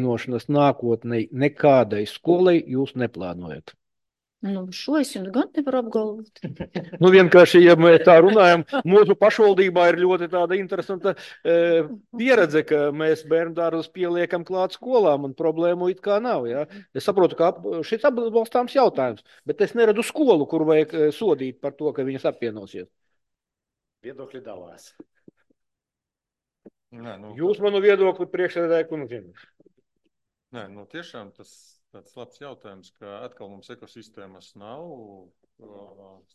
Nošanas nākotnē nekādai skolai jūs neplānojat? Nu, šo es jums gan nevaru apgalvot. Nu, vienkārši, ja mēs tā runājam, mūsu pašvaldībā ir ļoti tāda interesanta pieredze, ka mēs bērnu dārzus pieliekam klāt skolām un problēmu it kā nav. Ja? Es saprotu, ka šis atbalstāms jautājums, bet es neredzu skolu, kur vajag sodīt par to, ka viņas apvienosies. Viedokļi dalās. Nē, nu, Jūs manu viedokli priekšsēdētāji kundzim. Nē, nu, tiešām tas tāds labs jautājums, ka atkal mums ekosistēmas nav,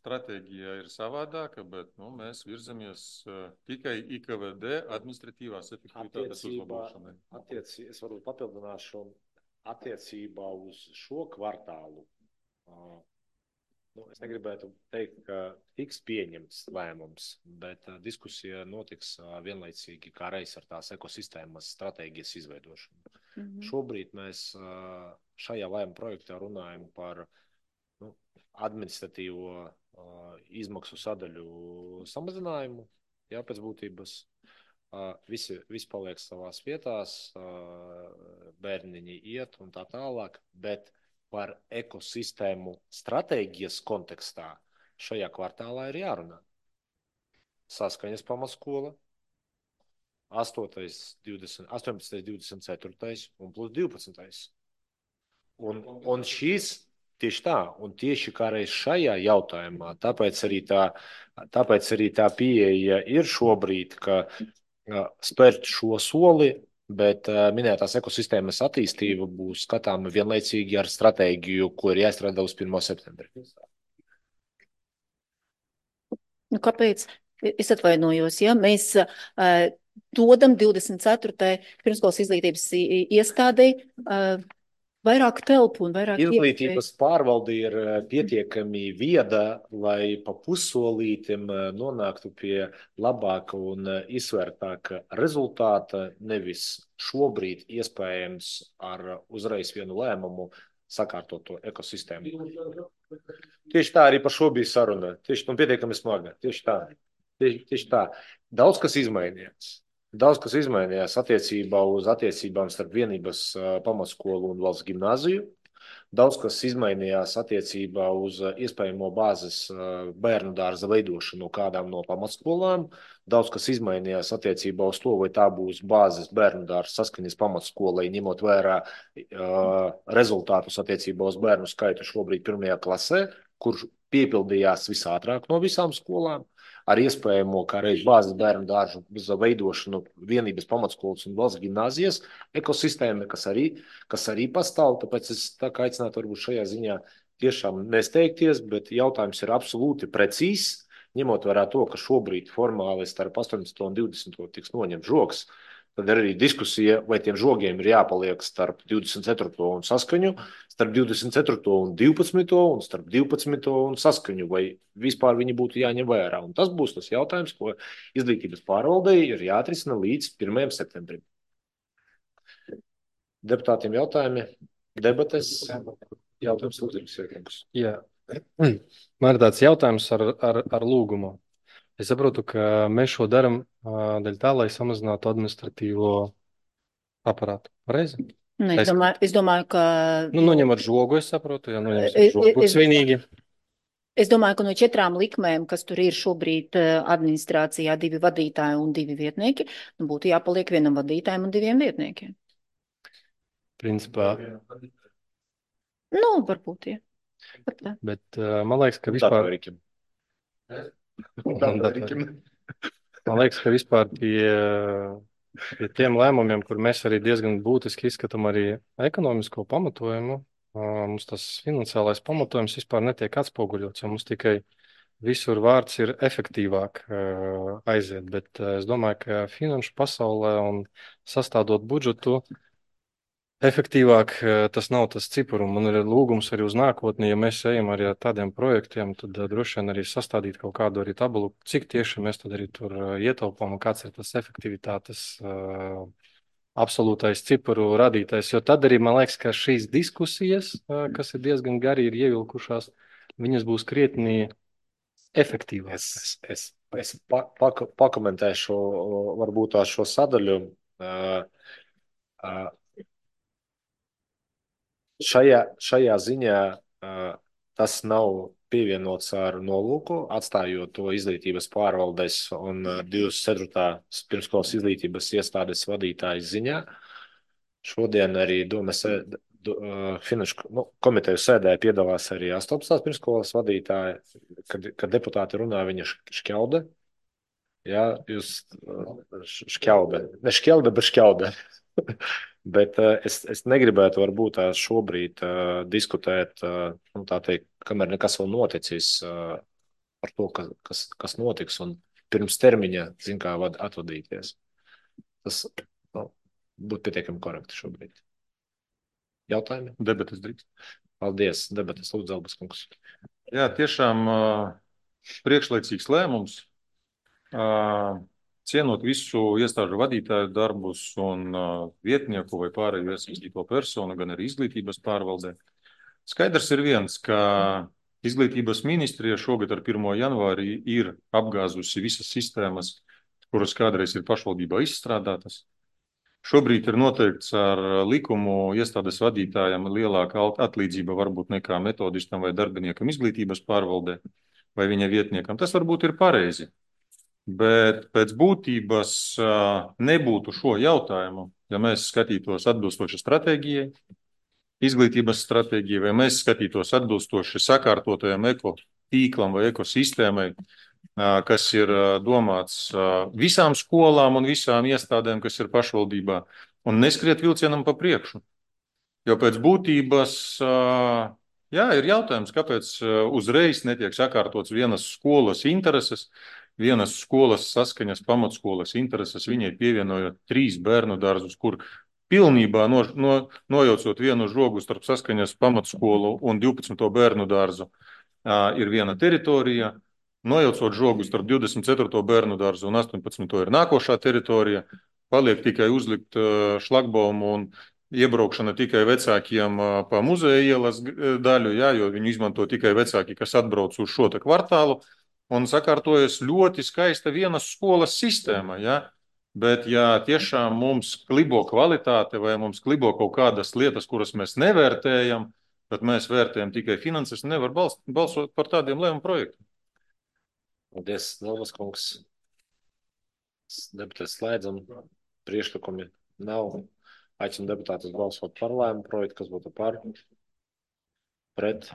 stratēģija ir savādāka, bet mēs virzamies tikai IKVD administratīvās efektivitātes uzlabošanai. Es varbūt papildināšu attiecībā uz šo kvartālu. Es negribētu teikt, ka tiks pieņemts lēmums, bet diskusija notiks vienlaicīgi kā reiz ar tās ekosistēmas stratēģijas izveidošanu. Šobrīd mēs šajā lēmuma projektā runājam par administratīvo izmaksu sadaļu samazinājumu, jā, pēc būtības. Visi paliek savās vietās, bērniņi iet un tā tālāk, bet par ekosistēmu stratēģijas kontekstā šajā kvartālā ir jārunā. Saskaņas pamatskola, 8., 18., 24. un plus 12. Un šīs tieši tā, un tieši kā reiz šajā jautājumā, tāpēc arī tā pieeja ir šobrīd, ka spērt šo soli, bet minētās ekosistēmas attīstība būs skatāma vienlaicīgi ar stratēģiju, ko ir jāizstrādā uz 1. septembri. Nu, kāpēc? Es atvainojos, ja mēs dodam 24. pirmskolas izglītības iestādei vairāk telpu un vairāk Izglītības pārvalde ir pietiekami vieda, lai pa pussolītim nonāktu pie labāka un izsvērtāka rezultāta, nevis šobrīd iespējams ar uzreiz vienu lēmumu sakārtot to ekosistēmu. Tieši tā arī par šo bija saruna. Tieši tā, pietiekami smaga. Tieši tā. Daudz kas izmainījās. Daudz kas izmainījās attiecībā uz attiecībām starp vienības pamatskolu un valsts gimnāziju. Daudz kas izmainījās attiecībā uz iespējamo bāzes bērnu dārza veidošanu kādām no pamatskolām. Daudz kas izmainījās attiecībā uz to, vai tā būs bāzes bērnu dārza saskaņas pamatskolai, ņemot vērā rezultātus attiecībā uz bērnu skaitu šobrīd 1. klasē, kurš piepildījās visātrāk no visām skolām, ar iespējamo kā reiz bāzes bērnu dārzu veidošanu vienības pamatskolas un valsts gimnāzijas ekosistēma, kas arī pastāv. Tāpēc es tā kā aicinātu varbūt šajā ziņā tiešām nesteigties, bet jautājums ir absolūti precīzs, ņemot vērā to, ka šobrīd formāli starp 18. un 20. tiks noņemts žogs. Tad ir arī diskusija, vai tiem žogiem ir jāpaliek starp 24. un saskaņu, starp 24. un 12. un starp 12. un saskaņu, vai vispār viņi būtu jāņem vērā. Un tas būs tas jautājums, ko izglītības pārvaldei ir jāatrisina līdz 1. septembrim. Deputātiem jautājumi, debates, jautājums lūdzu. Jā, man ir tāds jautājums ar lūgumu. Es saprotu, ka mēs šo daram dēļ tā, lai samazinātu administratīvo aparātu. Pareizi? Ne, es domāju, ka... Noņemot žogu, es saprotu, ja noņemsim žogu, būtu svinīgi. Es domāju, ka no 4 likmēm, kas tur ir šobrīd administrācijā, 2 vadītāji un 2 vietnieki, būtu jāpaliek 1 vadītājiem un 2 vietniekiem. Principā. Varbūt, jā. Bet man liekas, ka vispār... Man liekas, ka vispār pie tiem lēmumiem, kur mēs arī diezgan būtiski izskatām arī ekonomisko pamatojumu, mums tas finansiālais pamatojums vispār netiek atspoguļots, jo mums tikai visur vārds ir efektīvāk aiziet. Bet es domāju, ka finanšu pasaulē un sastādot budžetu, efektīvāk tas nav tas cipars. Man ir lūgums arī uz nākotni, ja mēs ejam arī ar tādiem projektiem, tad droši vien arī sastādīt kaut kādu arī tabulu, cik tieši mēs tad arī tur ietaupām un kāds ir tas efektivitātes absolūtais ciparu radītais. Jo tad arī man liekas, ka šīs diskusijas, kas ir diezgan gari, ir ievilkušās, viņas būs krietni efektīvākas. Es pakomentēšu varbūt šo sadaļu. šajā ziņā tas nav pievienots ar nolūku, atstājot to izglītības pārvaldes un 24. pirmskolas izglītības iestādes vadītājas ziņā. Šodien arī Finanšu komiteju sēdē piedalās arī 18. pirmskolas vadītāja, kad deputāti runā, viņa šķelda. Jā, jūs šķelda. Ne šķelda, bet šķelda. Bet es negribētu varbūt šobrīd diskutēt, tā teikt, kamēr nekas vēl noticis par to, kas notiks, un pirms termiņa, kā atvadīties. Tas būtu pietiekami korekti šobrīd. Jautājumi? Debates drīkst. Paldies. Debates lūdzu, Zelbas kungs. Jā, tiešām priekšlaicīgs lēmums. Cienot visu iestāžu vadītāju darbus un vietnieku vai pārējo iesaistīto personu, gan arī izglītības pārvaldē. Skaidrs ir viens, ka izglītības ministrija šogad ar 1. janvāri ir apgāzusi visas sistēmas, kuras kādreiz ir pašvaldībā izstrādātas. Šobrīd ir noteikts ar likumu iestādes vadītājiem lielāka atlīdzība varbūt nekā metodistam vai darbiniekam izglītības pārvaldē vai viņa vietniekam. Tas varbūt ir pareizi. Bet pēc būtības nebūtu šo jautājumu, ja mēs skatītos atbilstoši stratēģijai, izglītības stratēģijai, vai mēs skatītos atbilstoši sakārtotajam ekotīklam vai ekosistēmai, kas ir domāts visām skolām un visām iestādēm, kas ir pašvaldībā, un neskriet vilcienam pa priekšu. Jo pēc būtības, ir jautājums, kāpēc uzreiz netiek sakārtots vienas skolas intereses, vienas skolas saskaņas pamatskolas intereses, viņai pievienojot 3 bērnu dārzus, kur pilnībā nojaucot vienu žogu starp saskaņas pamatskolu un 12. bērnu dārzu ir viena teritorija, nojaucot žogu starp 24. bērnu dārzu un 18. ir nākošā teritorija, paliek tikai uzlikt šlagbaumu un iebraukšana tikai vecākiem pa muzeja ielas daļu, jo viņu izmanto tikai vecāki, kas atbrauc uz šo kvartālu, un sakārtojas ļoti skaista vienas skolas sistēma, Bet, ja tiešām mums klibo kvalitāte vai mums klibo kaut kādas lietas, kuras mēs nevērtējam, bet mēs vērtējam tikai finanses, nevar balsot par tādiem lēmumu projektiem. Paldies, Zelbas kungs. Debates slēdzam. Priekšlikumi nav. Aicinu deputātus balsot par lēmumu projektu, kas būtu par. Pret.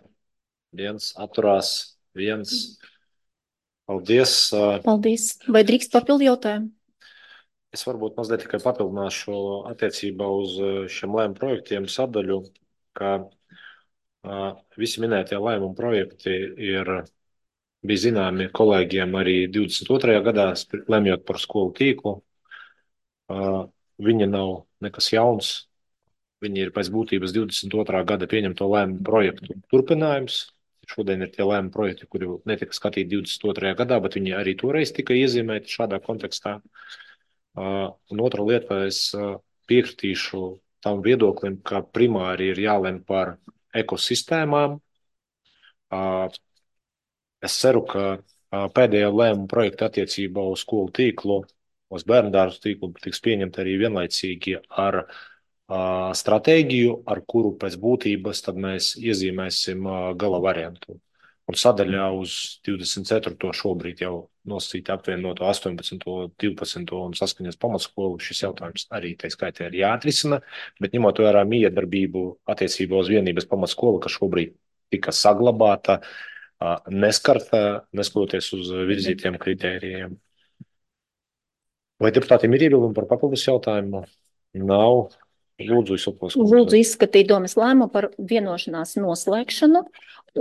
1. Atturās. 1. Paldies. Paldies. Vai drīkst papildu jautājumu? Es varbūt mazliet tikai papildināšu attiecībā uz šiem lēmumu projektiem sadaļu, ka visi minētie lēmumu projekti bija zināmi kolēģiem arī 22. gadā, lemjot par skolu tīklu. Viņi nav nekas jauns. Viņi ir pēc būtības 22. gada pieņemto lēmumu projektu turpinājums. Šodien ir tie lēmumu projekti, kuri netika skatīti 22. gadā, bet viņi arī toreiz tika iezīmēti šādā kontekstā. Un otra lieta, es piekritīšu tam viedoklim, ka primāri ir jālem par ekosistēmām. Es ceru, ka pēdējā lēmuma projekta attiecībā uz skolu tīklu, uz bērndārzu tīklu tiks pieņemta arī vienlaicīgi ar stratēģiju, ar kuru pēc būtības tad mēs iezīmēsim gala variantu. Un sadaļā uz 24. šobrīd jau nosacīti apvienoto 18., 12. un saskaņas pamatskolu. Šis jautājums arī tai skaitā ir jāatrisina, bet ņemot vērā miedarbību attiecībā uz vienības pamatskolu, kas šobrīd tika saglabāta, neskarta, neskatoties uz virzītiem kritērijiem. Vai deputātiem ir iebildumi par papildus jautājumu? Nav. Lūdzu, izskatīt domas lēmumu par vienošanās noslēgšanu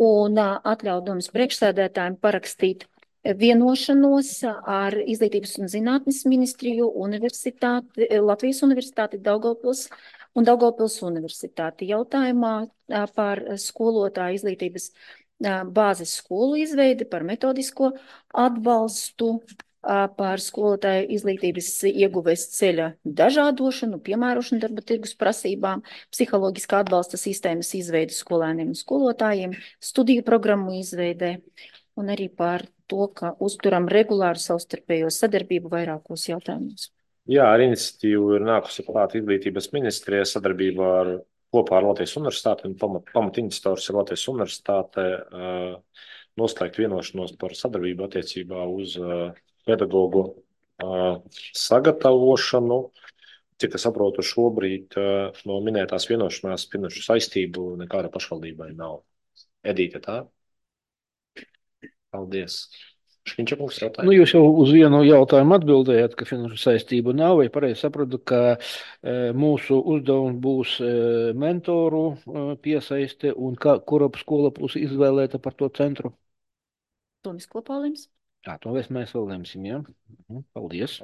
un atļaut domas priekšsēdētājiem parakstīt vienošanos ar Izglītības un zinātnes ministriju, Latvijas universitāti, Daugavpils un Daugavpils universitāti jautājumā par skolotāju izglītības bāzes skolu izveidi, par metodisko atbalstu, par skolotāju izglītības ieguves ceļa dažādošanu, piemērošanu darba tirgus prasībām, psiholoģiskā atbalsta sistēmas izveidi skolēniem un skolotājiem, studiju programmu izveidē un arī par to, ka uzturam regulāru savstarpējo sadarbību vairākos jautājumos. Jā, ar iniciatīvu ir nākusi klāt Izglītības ministrija sadarbībā ar kopā ar Latvijas universitāti, un pamatiniciators ir Latvijas universitāte, noslēgt vienošanos par sadarbību attiecībā uz pedagogu sagatavošanu. Cik es saprotu, šobrīd no minētās vienošanās finanšu saistību nekāda pašvaldībai nav. Edīte, tā? Paldies. Šķiņķa kungs jautāja. Nu, jūs jau uz vienu jautājumu atbildējāt, ka finanšu saistību nav, vai pareizi sapratu, ka mūsu uzdevums būs mentoru piesaiste un kura skola būs izvēlēta par to centru? To mēs kopā lems. Jā, to mēs vēl lemsim, jā. Paldies.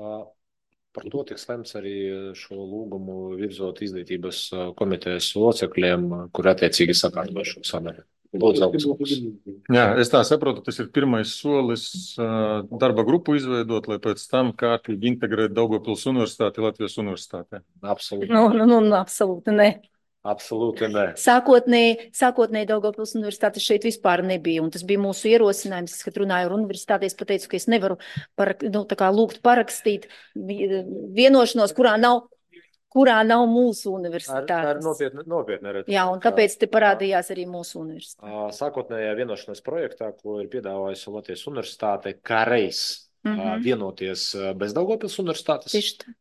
Par to tiks lemts arī šo lūgumu virzot izglītības komitejas locekļiem, kur attiecīgi sakārto šo sadaļu. Jā, es tā saprotu, tas ir pirmais solis darba grupu izveidot, lai pēc tam kārtīgi integrēt Daugavpils universitāti Latvijas universitātē. Absolūti. Absolūti ne. Absolūti ne. Sākotnēji Daugavpils universitāte šeit vispār nebija, un tas bija mūsu ierosinājums. Es, kad runāju ar universitāti, es pateicu, ka es nevaru lūgt parakstīt vienošanos, kurā nav mūsu universitātes. Tā ir nopietna redzes. Jā, un tāpēc te parādījās arī mūsu universitāte. Sākotnējā vienošanās projektā, ko ir piedāvājusi Latvijas universitāte, kā reiz vienoties bez Daugavpils universitātes. Tieši tā.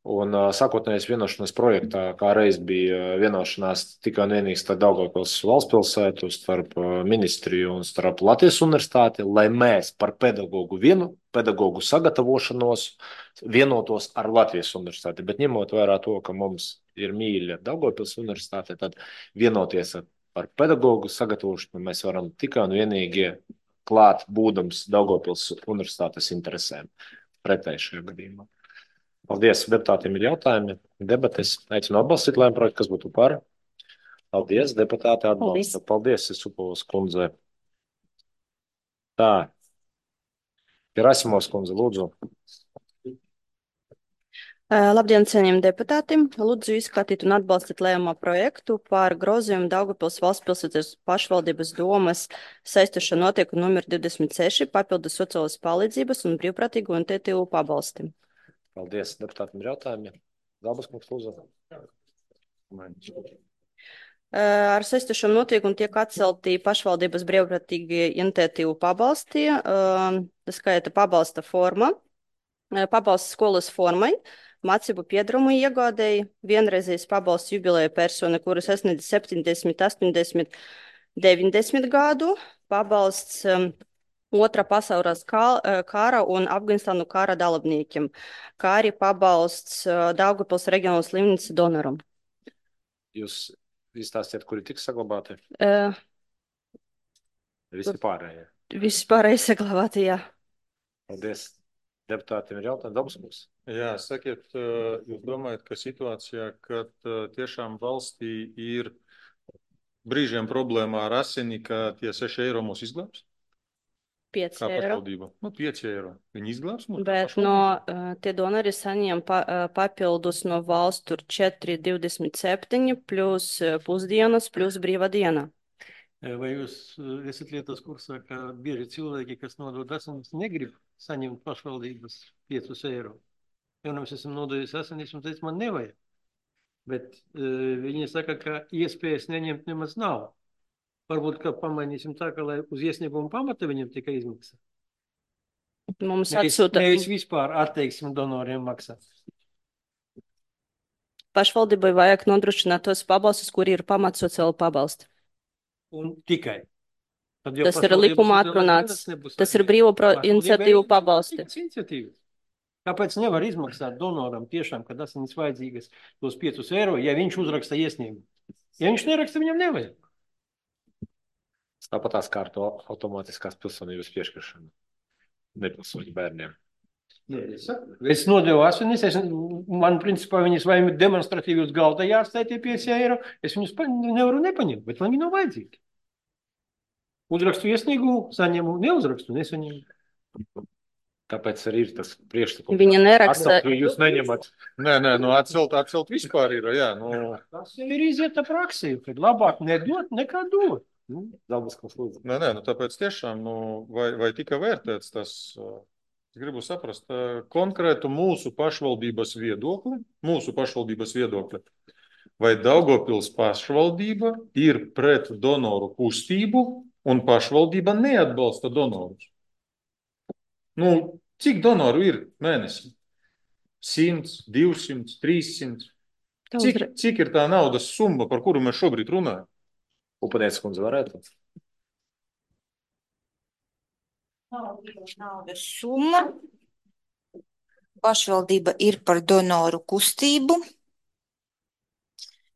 Un sākotnējais vienošanās projektā, kā reiz bija vienošanās tikai un vienīgi starp Daugavpils valstspilsētu, starp ministriju un starp Latvijas universitāti, lai mēs par pedagogu sagatavošanos vienotos ar Latvijas universitāti. Bet ņemot vērā to, ka mums ir mīļa Daugavpils universitāte, tad vienoties par pedagogu sagatavošanu mēs varam tikai un vienīgi klāt būdams Daugavpils universitātes interesēm pretēji šajā gadījumā. Paldies, deputātiem ir jautājumi, debates. Aicinu atbalstīt lēmumu projektu, kas būtu par. Paldies, deputāti atbalsta. Paldies, Isupovas kundze. Tā. Gerasimovs kundze, lūdzu. Labdien, cienījami deputāti. Lūdzu izskatīt un atbalstīt lēmuma projektu par grozījumu Daugavpils valstspilsētas pašvaldības domas saistošā notiekuma numur 26 papildus sociālas palīdzības un brīvprātīgu un TTU pabalsti. Paldies, deputātiem ir jautājumi. Zābas kungs, lūdzu. Ar saistošo notiekumu tiek atcelti pašvaldības brīvprātīgi iniciatīvu pabalsti, tā skaita pabalsta forma, pabalsts skolas formai, mācību piedarumu iegādēji, vienreizējs pabalsts jubileja persona, kuras sasniedz 70, 80, 90 gadu, pabalsts Otrā pasaules kara un Afganistānu kara dalībniekiem, kā arī pabalsts Daugavpils reģionālas slimnīcas donoram. Jūs izstāstiet, kuri tiks saglabāti? Visi pārējie. Visi pārējie saglabāti, jā. Paldies. Deputātiem ir jautājumi. Dabaskungs. Jā, sakiet, jūs domājat, ka situācijā, kad tiešām valstī ir brīžiem problēmā ar asini, ka tie 6 eiro mūs izglābs? 5 Kā eiro. pašvaldība? 5 eiro. Viņi izglābs mūs? Bet tie donori saņem papildus no valsts tur 4,27 plus pusdienas plus brīva diena. Vai jūs esat lietas kursā, ka bieži cilvēki, kas nodod asinis, negrib saņemt pašvaldības 5 eiro? Jo mēs esam nodojusi asinis un teica, man nevajag. Bet viņi saka, ka iespējas neņemt nemaz nav. Varbūt, ka pamainīsim tā, ka lai uz iesniegumu pamata viņam tikai izmaksā. Mums atsūta. Nevis vispār atteiksim donoriem maksāt. Pašvaldībai vajag nodrošināt tos pabalstus, kuri ir pamats sociāla pabalsti. Un tikai. Tas ir likuma atrunāts. Tas ir brīvo iniciatīvu pabalsti. Kāpēc nevar izmaksāt donoram tiešām, kad asinis vajadzīgas tos 5 eiro, ja viņš uzraksta iesniegumu? Ja viņš neraksta, viņam nevajag. Tāpat kā ar to automātiskās pilsonības piešķiršanu nepilsoņu bērniem. Es nodevu asinis, man principā viņas vai demonstratīvi uz galda jāatstāj tie 5 eiro, es viņus nevaru nepaņemt, bet man viņi nav vajadzīgi. Uzrakstu iesniegumu, saņemu, neuzrakstu, nesaņemu. Tāpēc arī ir tas priekšlikums. Viņa neraksta. Jūs neņemat. Nē, atcelt vispār ir, jā. Tas ir izieta praksī, kad labāk nedot nekā dot. Nē, tāpēc tiešām, vai tika vērtēts tas, es gribu saprast, konkrētu mūsu pašvaldības viedokli, vai Daugavpils pašvaldība ir pret donoru kustību un pašvaldība neatbalsta donorus? Nu, cik donoru ir mēnesī? 100, 200, 300. Cik ir tā naudas summa, par kuru mēs šobrīd runājam? Upadienas kundze varētu? Naudas summa. Pašvaldība ir par donoru kustību,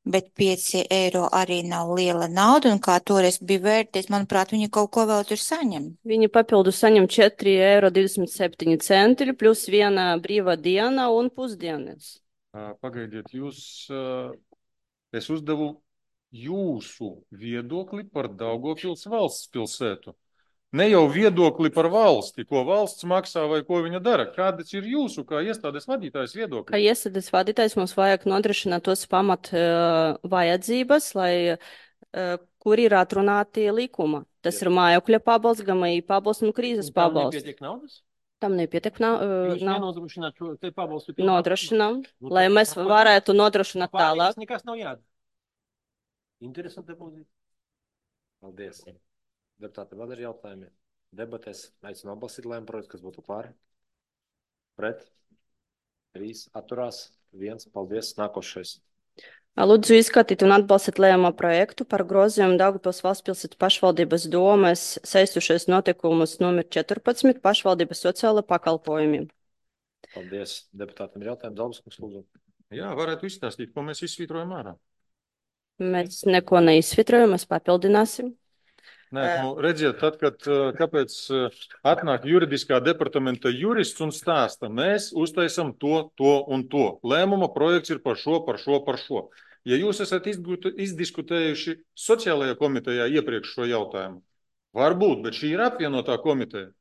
bet 5 eiro arī nav liela nauda, un kā toreiz bija vērties, manuprāt, viņi kaut ko vēl tur saņem. Viņi papildus saņem 4,27 eiro plus viena brīvā diena un pusdienas. Pagaidiet, es uzdevu jūsu viedokli par Daugavpils valsts pilsētu. Ne jau viedokli par valsti, ko valsts maksā vai ko viņa dara. Kādas ir jūsu, kā iestādes vadītājs viedokļi? Kā iestādes vadītājs mums vajag nodrošināt tos pamat vajadzības, kur ir atrunāti likuma. Tas ir mājokļa pabalsts, GMI pabalsts un krīzes pabalsts. Nepietiek naudas? Tam nepietiek Jūs nav. nenodrošināt šo te pabalstu? Nodrošinām, lai mēs varētu nodrošināt tālāk. Pārējais nekas nav jādara. Interesanti pozīcija. Paldies. Deputāti, vēl ir jautājumi? Debatēs aicinu atbalstīt lēmumu projektu, kas būtu pāri. Pret. 3 atturās. 1. Paldies. Nākošais. Lūdzu izskatīt un atbalstīt lēmumu projektu par grozījumu Daugavpils valstspilsētu pašvaldības domes saistošais notikumus numur 14 pašvaldības sociāla pakalpojumi. Paldies. Deputātam ir jautājumi. Zalbaskungs, lūdzu. Jā, varētu izstāstīt, ko mēs izsvītrojam ārā. Mēs neko neizsvitrojam, mēs papildināsim. Nē, redziet, tad, kāpēc atnāk juridiskā departamenta jurists un stāsta, mēs uztaisam to un to. Lēmuma projekts ir par šo. Ja jūs esat izdiskutējuši sociālajā komitejā iepriekš šo jautājumu, varbūt, bet šī ir apvienotā komiteja.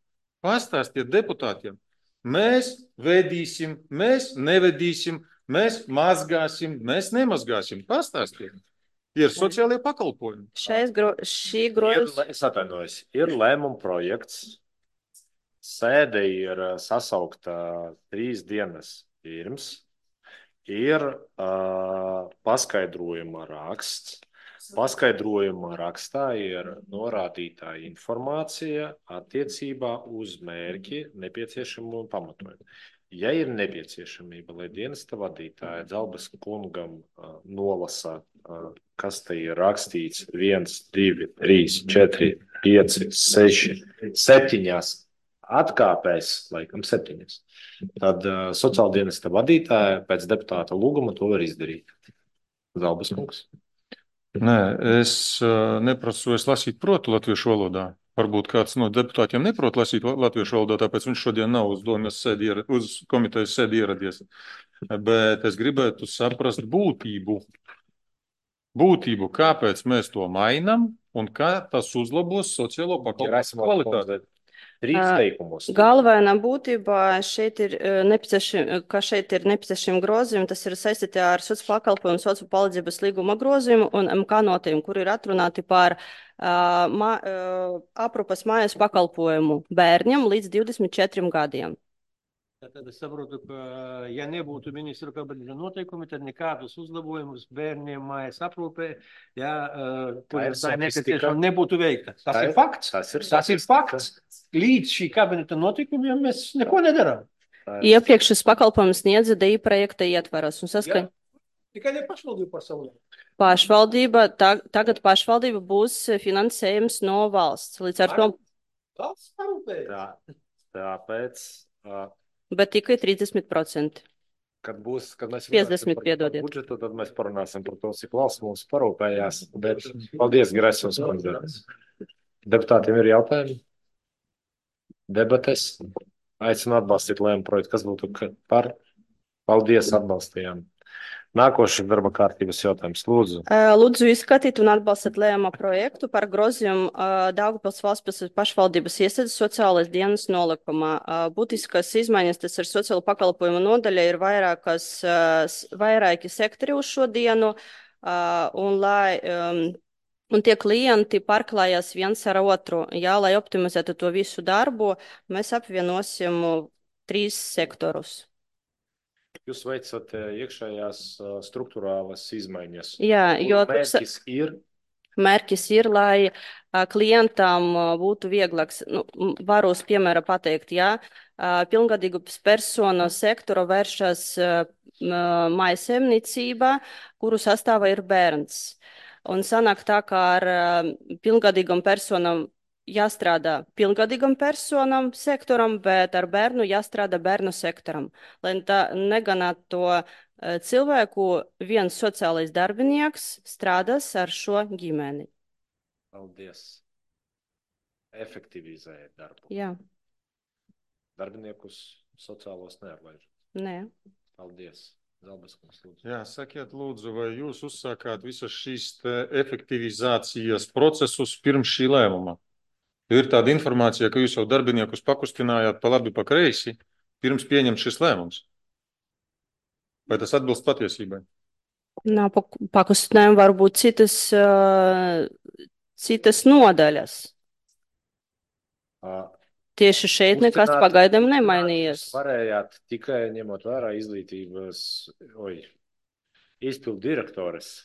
Pastāstiet deputātiem, mēs vedīsim, mēs nevedīsim, mēs mazgāsim, mēs nemazgāsim. Pastāstiet. Ir sociālie pakalpojumi. Šī grozījuma. Es atvainojos. Ir lēmuma projekts. Sēde ir sasaukta 3 dienas pirms. Ir paskaidrojuma raksts. Paskaidrojuma rakstā ir norādītā informācija attiecībā uz mērķi nepieciešamo un pamatojumu. Ja ir nepieciešamība, lai dienesta vadītāja Zalbas kungam nolasa, kas te ir rakstīts 1, 2, 3, 4, 5, 6, 7 atkāpēs, laikam 7, tad sociāldienesta vadītāja pēc deputāta lūguma to var izdarīt. Zalbas kungs. Nē, es neprasu, es lasīt protu latviešu valodā. Varbūt kāds no deputātiem neprot lasīt latviešu valodā, tāpēc viņš šodien nav uz komitejas sēdi ieradies. Bet es gribētu saprast būtību. Būtību, kāpēc mēs to mainam un kā tas uzlabos sociālo pakalpojumu kvalitāti. 3 teikumos. Galvenā būtība šeit ir nepieciešami grozījumi. Tas ir saistīti ar sociālo pakalpojumu, sociālo palīdzības līguma grozījumu un MK notējumu, kur ir atrunāti par aprūpas mājas pakalpojumu bērniem līdz 24 gadiem. Tad es saprotu, ka ja nebūtu ministru kabineta noteikumi, tad nekādus uzlabojumus bērniem mājas aprūpē, nebūtu veikta. Tas ir fakts. Tas ir fakts. Līdz šī kabineta notikumiem mēs neko nedarām. Iepriekš šis pakalpojums sniedza DI projekta ietvaros. Tikai ne pašvaldība pasaulē. Tagad pašvaldība būs finansējums no valsts. Līdz ar to. Valsts parūpē. Tāpēc. Bet tikai 30%. Kad mēs 50, piedodiet. Budžetu, tad mēs parunāsim par to, cik valsts mums parūpējās. Bet paldies, Grēsons kundze. Deputātiem ir jautājumi? Debates? Aicinu atbalstīt lēmumu projektu. Kas būtu par? Paldies, atbalstījām. Nākošais darba kārtības jautājums. Lūdzu. Lūdzu izskatīt un atbalstīt lēmuma projektu par grozījumu Daugavpils valstspilsētu pašvaldības iestādes sociālais dienas nolikumā. Būtiskas izmaiņas, tas ir sociālo pakalpojumu nodaļa, ir vairāki sektori uz šo dienu, un tie klienti pārklājās viens ar otru. Jā, lai optimizētu to visu darbu, mēs apvienosim 3 sektorus. Jūs veicat iekšējās struktūrālas izmaiņas. Jā, jo mērķis ir, lai klientam būtu vieglāks. Varu uz piemēra pateikt, ja pilngadīgas personas sektora vēršas mājsaimniecībā, kuru sastāvā ir bērns. Un sanāk tā, kā ar pilngadīgam personam jāstrādā pilngadīgam personam sektoram, bet ar bērnu jāstrādā bērnu sektoram. Lai tā neganāt to cilvēku, viens sociālais darbinieks strādās ar šo ģimeni. Paldies. Efektivizēt darbu. Jā. Darbiniekus sociālos neatlaiž. Nē. Paldies. Zalbeskungs, lūdzu. Jā, sakiet, lūdzu, vai jūs uzsākāt visas šīs efektivizācijas procesus pirms šī lēmuma? Ir tāda informācija, ka jūs jau darbiniekus pakustinājāt pa labi, pa kreisi, pirms pieņemt šis lēmums. Vai tas atbilst patiesībai? Nav pakustinājumi, varbūt citas nodaļas. Tieši šeit nekas pagaidām nemainījies. Varējāt tikai ņemot vērā izglītības izpildu direktores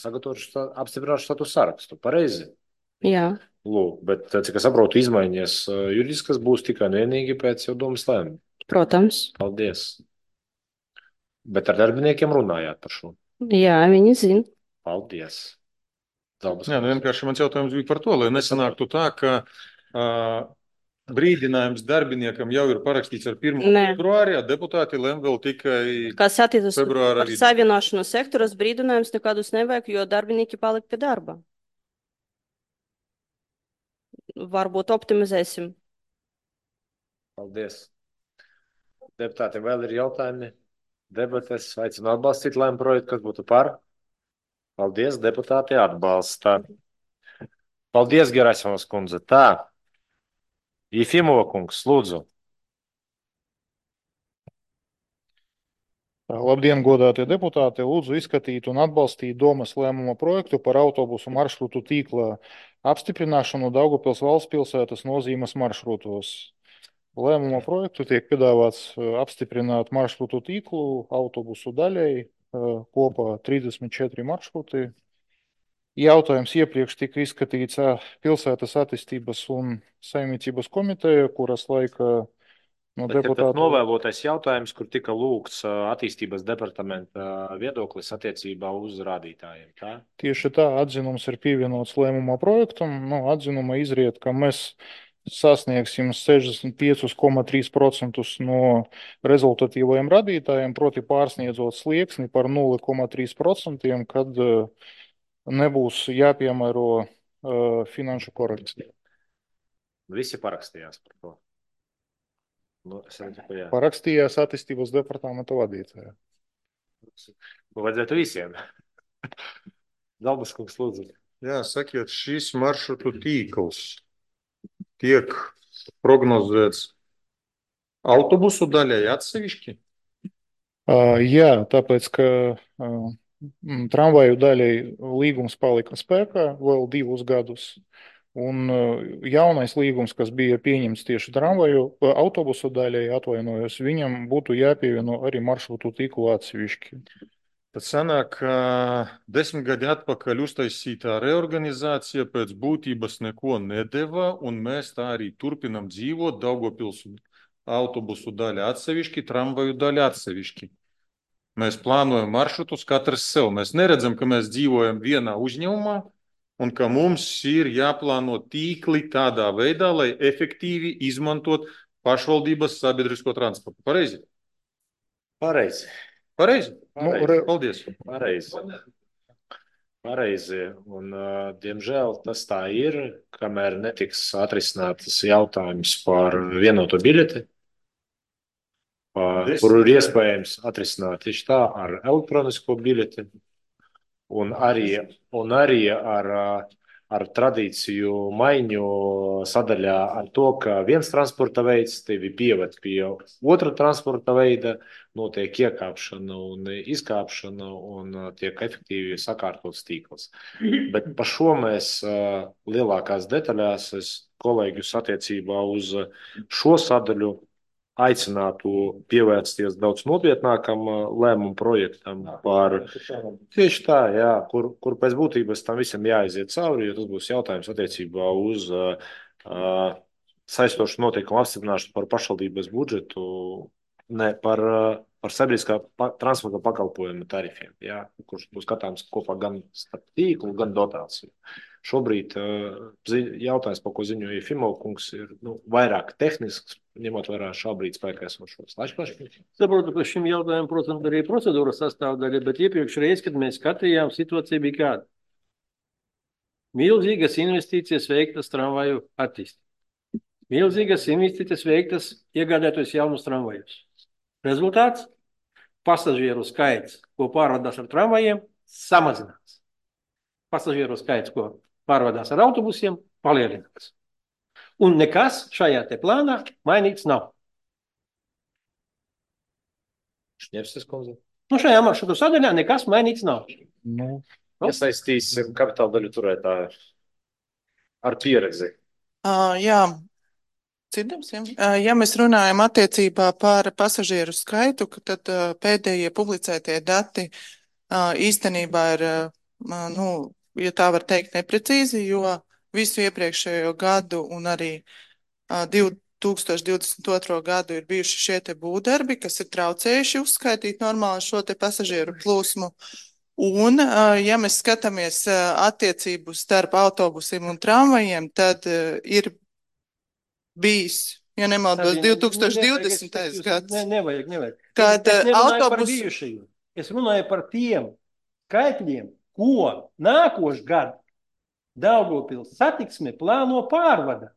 sagatavojuši apstiprināšu statusu sarakstu. Pareizi? Jā. Lūk, bet, cik es saprotu, izmaiņas juridiskas būs tikai un vienīgi pēc jau domas lēmuma. Protams. Paldies. Bet ar darbiniekiem runājāt par šo? Jā, viņi zina. Paldies. Jā, vienkārši mans jautājums bija par to, lai nesanāktu tā, ka brīdinājums darbiniekam jau ir parakstīts ar 1. februārī, deputāti lem vēl tikai kas attiecas februārā. Par savienošanos sektoros brīdinājums nekādus nevajag, jo darbinieki palika pie darba. Varbūt optimizēsim. Paldies. Deputātiem vēl ir jautājumi? Debates aicinu atbalstīt lēmumu projektu, kas būtu par. Paldies, deputāti atbalsta. Paldies, Gerasimovas kundze. Tā. Jefimova kungs, lūdzu. Labdien, godātie deputāti! Lūdzu izskatīt un atbalstīt domas lēmuma projektu par autobusu maršrutu tīkla apstiprināšanu Daugavpils valsts pilsētas nozīmes maršrutos. Lēmuma projektu tiek piedāvāts apstiprināt maršrutu tīklu autobusu daļai, kopā 34 maršruti. Jautājums iepriekš tika izskatīts pilsētas attīstības un saimniecības komiteja, kuras laika deputātu novēlotais jautājums, kur tika lūgts attīstības departamenta viedoklis attiecībā uz rādītājiem. Tā? Tieši tā, atzinums ir pievienots lēmuma projektam. Atzinuma izriet, ka mēs sasniegsim 65,3% no rezultatīvajiem rādītājiem, proti pārsniedzot slieksni par 0,3%, kad nebūs jāpiemēro finanšu korekcija. Visi parakstījās par to. Parakstījās attīstības departamenta vadītāja. Vajadzētu visiem. Zalbeskungs, lūdzu. Jā, sakiet, šis maršrutu tīkls tiek prognozēts autobusu daļai atsevišķi? Jā, tāpēc, ka tramvaju daļai līgums palika spēkā vēl 2 gadus. Un jaunais līgums, kas bija pieņemts tieši tramvaju autobusu daļai, atvainojos, viņam būtu jāpievieno arī maršrutu tīklu atsevišķi. Tad sanāk, ka 10 gadi atpakaļ uztaisītā reorganizācija pēc būtības neko nedeva, un mēs tā arī turpinam dzīvot Daugavpils autobusu daļa atsevišķi, tramvaju daļa atsevišķi. Mēs plānojam maršrutus katrs sev. Mēs neredzam, ka mēs dzīvojam vienā uzņēmumā, un ka mums ir jāplāno tīkli tādā veidā, lai efektīvi izmantot pašvaldības sabiedrisko transportu. Pareizi? Pareizi. Pareizi? Paldies. Pareizi. Un, diemžēl, tas tā ir, kamēr netiks atrisinātas jautājums par vienoto biļeti, kuru ir iespējams atrisināt tieši tā ar elektronisko biļeti. Un arī ar tradīciju maiņu sadaļā ar to, ka viens transporta veids tevi pieved pie otra transporta veida, notiek iekāpšana un izkāpšana un tiek efektīvi sakārtots tīkls. Bet par šo mēs lielākās detaļās es kolēģus attiecībā uz šo sadaļu aicinātu pievērsties daudz nopietnākam lēmumu projektam par tieši tā, jā, kur pēc būtības tam visam jāaiziet cauri, jo tas būs jautājums attiecībā uz saistošu noteikumu apstiprināšanu par pašvaldības budžetu, ne par sabiedriskā transporta pakalpojumu tarifiem, jā, kurš būs skatāms kopā gan starp tīklu, gan dotāciju. Šobrīd jautājums, par ko ziņoja Fimovkungs, ir vairāk tehnisks, ņemot vērā šobrīd spēkā esošos. Saprotu, ka šim jautājumam, protams, arī procedūras sastāvdaļa, bet iepriekšreiz, kad mēs skatījām, situācija bija kāda. Milzīgas investīcijas veiktas tramvaju attīstībā. Milzīgas investīcijas veiktas iegādājoties jaunus tramvajus. Rezultāts – pasažieru skaits, ko pārvadās ar tramvajiem, samazinās. Pasažieru skaits, ko pārvadās ar autobusiem, palielinās. Un nekas šajā te plānā mainīts nav. Šņepstas kundze. Šajā maršrutu sadaļā nekas mainīts nav. Iesaistīsim kapitāla daļu turētāju ar pieredzi. Jā, dzirdams, ja mēs runājam attiecībā par pasažieru skaitu, tad pēdējie publicētie dati īstenībā ir, ja tā var teikt, neprecīzi, jo visu iepriekšējo gadu un arī 2022. gadu ir bijuši šie te būvdarbi, kas ir traucējuši uzskaitīt normāli šo te pasažieru plūsmu. Un, ja mēs skatāmies attiecību starp autobusiem un tramvajiem, tad ir bijis, ja nemaldos, 2020. gads. Nevajag. Kad Es runāju par tiem skaitļiem, ko nākošu gadu Daugavpils satiksme plāno pārvada.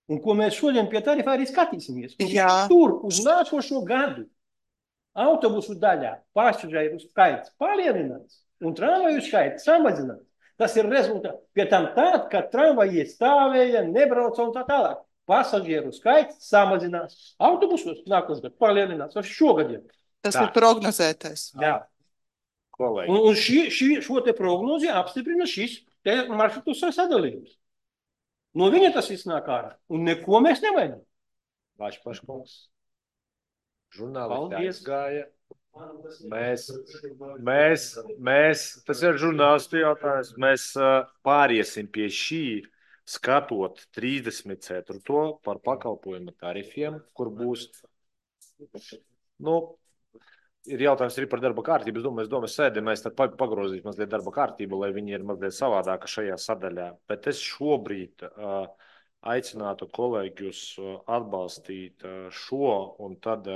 Un ko mēs šodien pie tarifā arī skatīsimies. Tur uz nākošo gadu autobusu daļā pasažieru skaits palielinās un tramvaju skaits samazinās. Tas ir rezultāts. Pie tam tād, kad tramvaji stāvēja, nebrauca un tā tālāk. Pasažieru skaits samazinās. Autobusos nākošais gads palielinās. Tas šogad ir. Tas ir prognozētais. Jā. Un šo te prognozi apstiprina šis te maršrutu sadalījums. No viņa tas viss nāk ārā. Un neko mēs nevainam. Vašpaškungs. Žurnālisti aizgāja. Mēs, tas ir žurnālistu jautājums, mēs pāriesim pie šī, skatot 34. par pakalpojumu tarifiem, kur būs, ir jautājums arī par darba kārtību. Es domāju, sēdē mēs tad pagrozīt mazliet darba kārtību, lai viņi ir mazliet savādāka šajā sadaļā. Bet es šobrīd aicinātu kolēģus atbalstīt šo un tad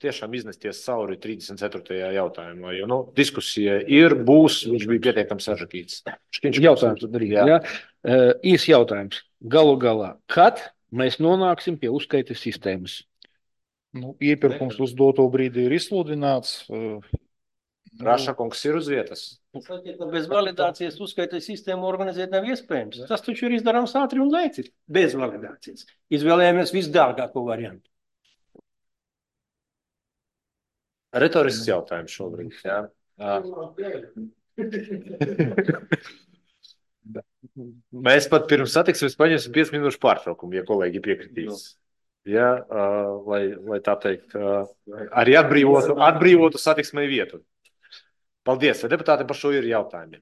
tiešām iznesties cauri 34. jautājumā, jo diskusija būs, viņš bija pietiekami sažakīts. Jautājums tad arī, jā. Īs jautājums. Galu galā, kad mēs nonāksim pie uzskaites sistēmas? Iepirkums uz doto brīdi ir izsludināts. Rašakungs ir uz vietas. Bez validācijas uzskaites sistēmu organizēt nav iespējams. Tas taču ir izdarāms ātri un lēci. Bez validācijas. Izvēlējāmies visdārgāko variantu. Retorisks jautājums šobrīd. Jā. Mēs pat pirms satiksmes paņemsim 5 minūšu pārtraukumu, ja kolēģi piekritīs. Ja, lai tā teikt, arī atbrīvotu satiksmei vietu. Paldies, vai deputāti par šo ir jautājumi?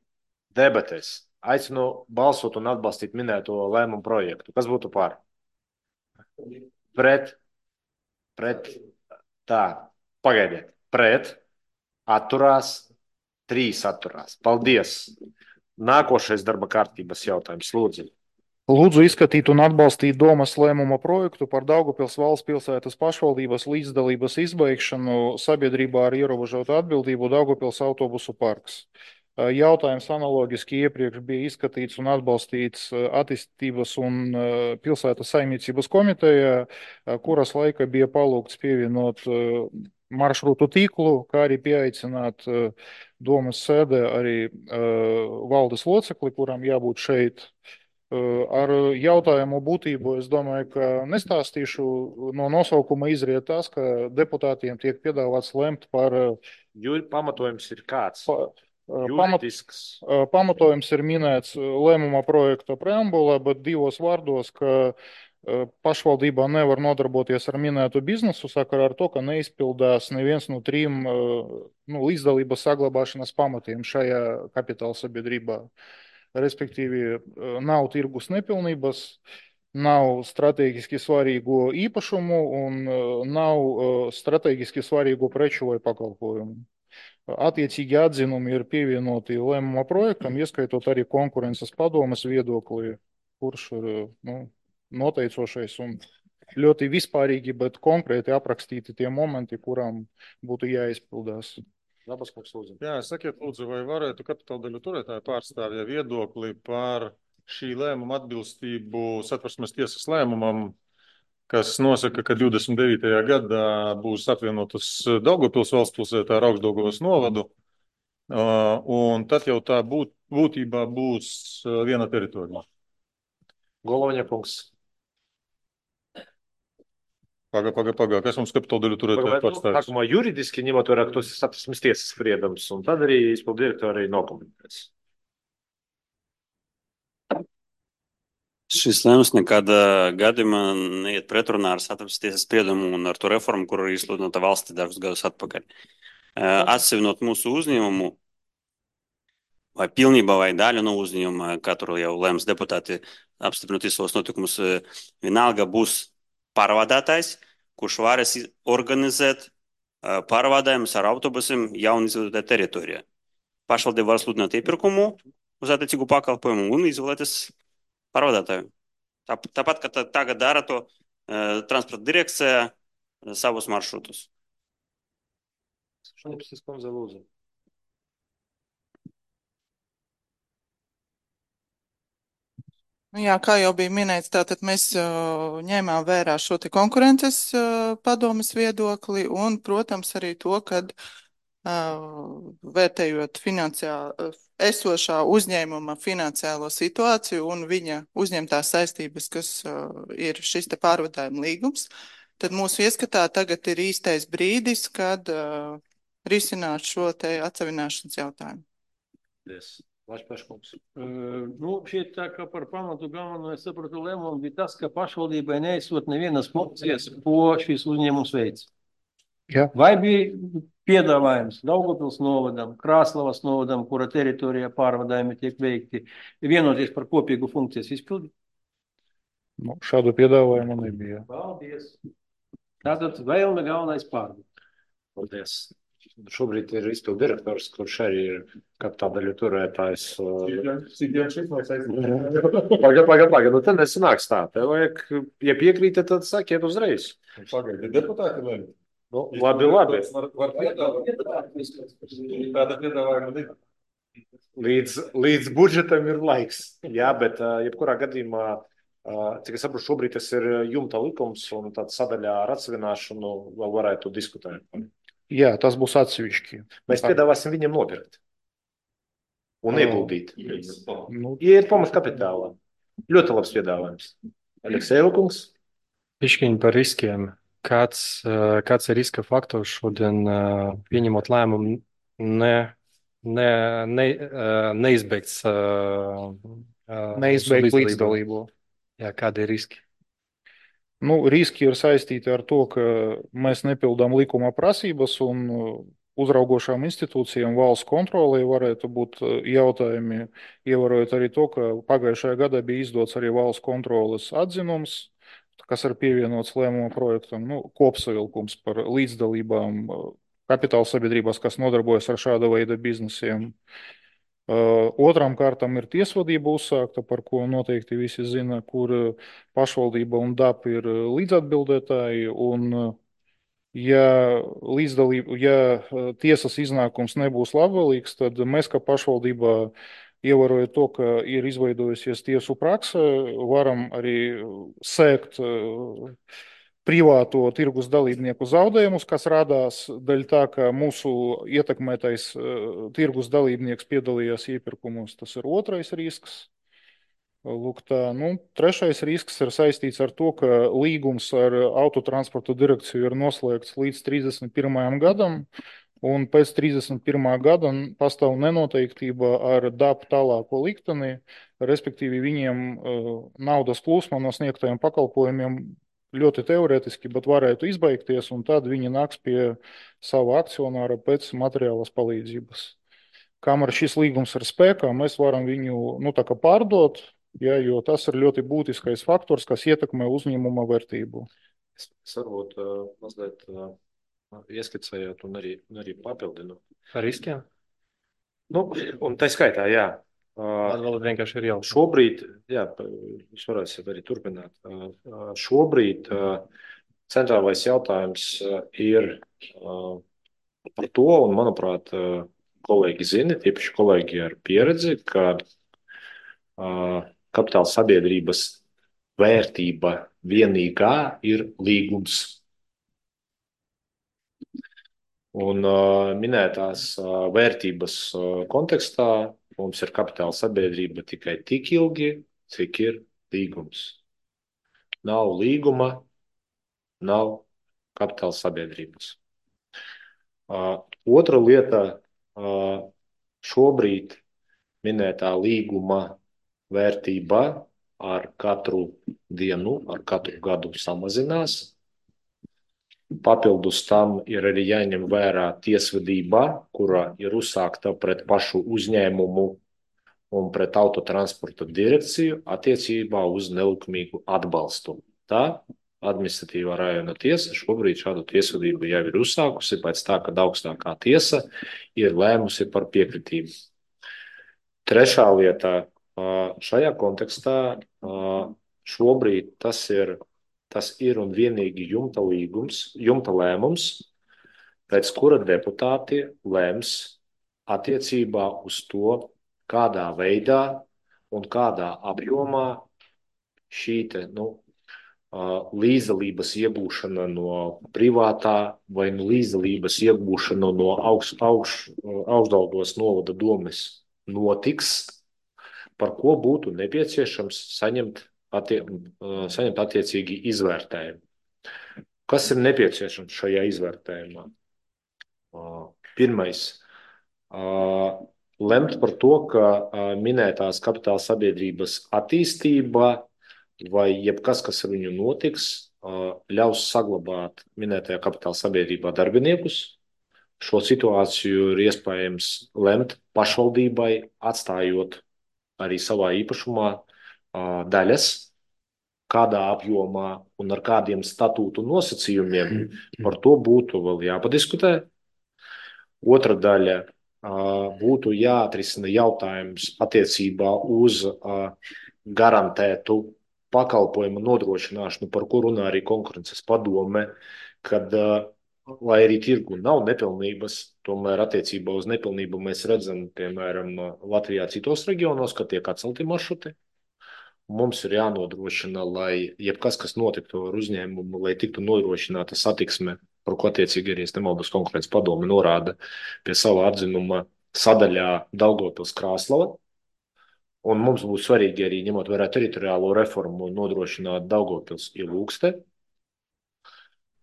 Debatēs. Aicinu balsot un atbalstīt minēto lēmumu projektu. Kas būtu par? Pret. Tā, pagaidiet. Pret. Atturās. 3 atturās. Paldies. Nākošais darba kārtības jautājums. Lūdzu. Lūdzu izskatīt un atbalstīt domas lēmuma projektu par Daugavpils valsts pilsētas pašvaldības līdzdalības izbeigšanu sabiedrībā ar ierobežotu atbildību Daugavpils autobusu parks. Jautājums analogiski iepriekš bija izskatīts un atbalstīts attīstības un pilsētas saimniecības komitejā, kuras laika bija palūgts pievienot maršrutu tīklu, kā arī pieaicināt domas sēdē arī valdes locekli, kuram jābūt šeit. Ar jautājumu būtību es domāju, ka nestāstīšu. No nosaukuma izriet tas, ka deputātiem tiek piedāvāts lemt par... Pamatojums ir kāds? Pamatojums ir minēts lēmuma projekta preambulā, bet 2 vārdos, ka pašvaldībā nevar nodarboties ar minētu biznesu sakarā ar to, ka neizpildās neviens no 3 līdzdalības saglabāšanas pamatiem šajā kapitāla sabiedrībā. Respektīvi, nav tirgus nepilnības, nav strateģiski svarīgo īpašumu un nav strateģiski svarīgo preču vai pakalpojumu. Attiecīgi atzinumi ir pievienoti lēmuma projektam, ieskaitot arī konkurences padomes viedokli, kurš ir noteicošais un ļoti vispārīgi, bet konkrēti aprakstīti tie momenti, kurām būtu jāizpildās. Jā, sakiet, lūdzu, vai varētu kapitāla daļu turētāju pārstāvja viedokli par šī lēmuma atbilstību Satversmes tiesas lēmumam, kas nosaka, ka 29. gadā būs apvienotas Daugavpils valstspilsētā ar Augšdaugavas novadu, un tad jau tā būtībā būs viena teritorija. Goloņa kungs. Paga, kas mums kapitāla daļu turētāju pārstāvis? Sākumā juridiski ņemot vērā, ka tas ir Satversmes tiesas spriedums, un tad arī izpildu direktori nokomentēs. Šis lēmums nekādā gadījumā neiet pretrunā ar Satversmes tiesas spriedumu un ar to reformu, kuru ir izsludināta valstī dažus gadus atpakaļ. Atsevinot mūsu uzņēmumu, vai pilnībā vai daļu no uzņēmuma, katru jau lēms deputāti apstiprinot visos notikumus, vienalga būs pārvadātājs, kurš varēs organizēt pārvadājumus ar autobusiem jaunu izveidotā teritorijā. Pašvaldība var sludināt iepirkumu uz attiecīgu pakalpojumu un izvēlēties pārvadātāju. Tāpat, ka tagad dara to transporta direkcija savus maršrutus. Šalipsis kundze, lūdzu. Jā, kā jau bija minēts, tātad mēs ņēmām vērā šo te konkurences padomes viedokli un, protams, arī to, kad vērtējot esošā uzņēmuma finansiālo situāciju un viņa uzņemtās saistības, kas ir šis te pārvadājuma līgums, tad mūsu ieskatā tagad ir īstais brīdis, kad risināt šo te atsavināšanas jautājumu. Vašpaškungs. Šeit tā kā par pamatu galveno, es sapratu, lēmumu bija tas, ka pašvaldībai neizsot nevienas funkcijas, ko šis uzņēmums veids. Jā. Vai bija piedāvājums Daugavpils novadam, Krāslavas novadam, kura teritorijā pārvadājumi tiek veikti, vienoties par kopīgu funkcijas izpildi? Šādu piedāvājumu nebija. Paldies. Tātad vēlme galvenais pārvadāt. Paldies. Šobrīd ir izpildu direktors, kurš arī ir kapitāla daļu turētājs. Paga, nu tad nesanāks tā. Tev vajag, ja piekrītat, tad sakiet uzreiz. Pagaidi, deputāti lēma. Labi. Var piedāvāt. Tāda piedāvājuma ir. Līdz budžetam ir laiks. Jā, bet jebkurā gadījumā, cik es saprotu, šobrīd tas ir jumta likums un tāda sadaļā ar atsevināšanu vēl varētu diskutēt. Jā, tas būs atsevišķi. Mēs piedāvāsim viņam nopirkt un ieguldīt. Iet pamat kapitālā. Ļoti labs piedāvājums. Aleksejeva kungs. Pišķiņi par riskiem. Kāds ir riska faktors šodien pieņemot lēmumu neizbeigt līdzdalību? Jā, kādi ir riski? Riski ir saistīti ar to, ka mēs nepildām likuma prasības un uzraugošām institūcijām valsts kontrolē varētu būt jautājumi, ievērojot arī to, ka pagājušajā gadā bija izdots arī valsts kontroles atzinums, kas ir pievienots lēmuma projektam, kopsavilkums par līdzdalībām kapitāla sabiedrībās, kas nodarbojas ar šāda veida biznesiem. Otram kārtam ir tiesvedība uzsākta, par ko noteikti visi zina, kur pašvaldība un DAP ir līdzatbildētāji, un ja tiesas iznākums nebūs labvēlīgs, tad mēs, kā pašvaldībā, ievērojot to, ka ir izveidojusies tiesu prakse, varam arī sēkt privāto tirgus dalībnieku zaudējumus, kas radās dēļ tā, ka mūsu ietekmētais tirgus dalībnieks piedalījās iepirkumos. Tas ir otrais risks. Lūk tā, trešais risks ir saistīts ar to, ka līgums ar autotransporta direkciju ir noslēgts līdz 31. gadam, un pēc 31. gada pastāv nenoteiktība ar DAP tālāko likteni, respektīvi viņiem naudas plūsma no sniegtajiem pakalpojumiem ļoti teorētiski, bet varētu izbeigties, un tad viņi nāks pie sava akcionāra pēc materiālas palīdzības. Kamēr šis līgums ir spēkā, mēs varam viņu tā kā pārdot, ja, jo tas ir ļoti būtiskais faktors, kas ietekmē uzņēmuma vērtību. Es varbūt mazliet ieskicējot un arī papildinu. Ar riskiem? Un tā skaitā, jā. Atbildi vienkārši ir jau. Šobrīd, jā, es varēšu arī turpināt. Šobrīd centrālais jautājums ir par to, un manuprāt, kolēģi zina, tieši kolēģi ar pieredzi, ka kapitāla sabiedrības vērtība vienīgā ir līgums. Un minētās vērtības kontekstā mums ir kapitāla sabiedrība tikai tik ilgi, cik ir līgums. Nav līguma, nav kapitāla sabiedrības. Otra lieta, šobrīd minētā līguma vērtība ar katru dienu, ar katru gadu samazinās. Papildus tam ir arī jāņem vērā tiesvedība, kura ir uzsākta pret pašu uzņēmumu un pret autotransporta direkciju attiecībā uz nelikumīgu atbalstu. Tā administratīvā rajona tiesa šobrīd šādu tiesvedību jau ir uzsākusi pēc tā, kad augstākā tiesa ir lēmusi par piekritību. Trešā lieta šajā kontekstā šobrīd tas ir un vienīgi jumta lēmums, pēc kura deputāti lems attiecībā uz to, kādā veidā un kādā apjomā šī līdzdalības iegūšana no privātā vai līdzdalības iegūšana no Augšdaugavas novada domes notiks, par ko būtu nepieciešams saņemt attiecīgi izvērtējumu. Kas ir nepieciešams šajā izvērtējumā? Pirmais, lemt par to, ka minētās kapitāla sabiedrības attīstība vai jebkas, kas ar viņu notiks, ļaus saglabāt minētajā kapitāla sabiedrībā darbiniekus. Šo situāciju ir iespējams lemt pašvaldībai, atstājot arī savā īpašumā daļas, kādā apjomā un ar kādiem statūtu nosacījumiem, par to būtu vēl jāpadiskutē. Otra daļa būtu jāatrisina jautājums attiecībā uz garantētu pakalpojumu nodrošināšanu, par ko runā arī konkurences padome, kad, lai arī tirgu nav nepilnības, tomēr attiecībā uz nepilnību mēs redzam, piemēram, Latvijā citos reģionos, ka tiek atcelti maršruti. Mums ir jānodrošina, lai jebkas, kas notiktu ar uzņēmumu, lai tiktu nodrošināta satiksme, par ko attiecīgi arī nemaldos konkurences padome norāda pie sava atzinuma sadaļā Daugavpils Krāslava. Un mums būtu svarīgi arī ņemot vērā teritoriālo reformu nodrošināt Daugavpils Ilūkste.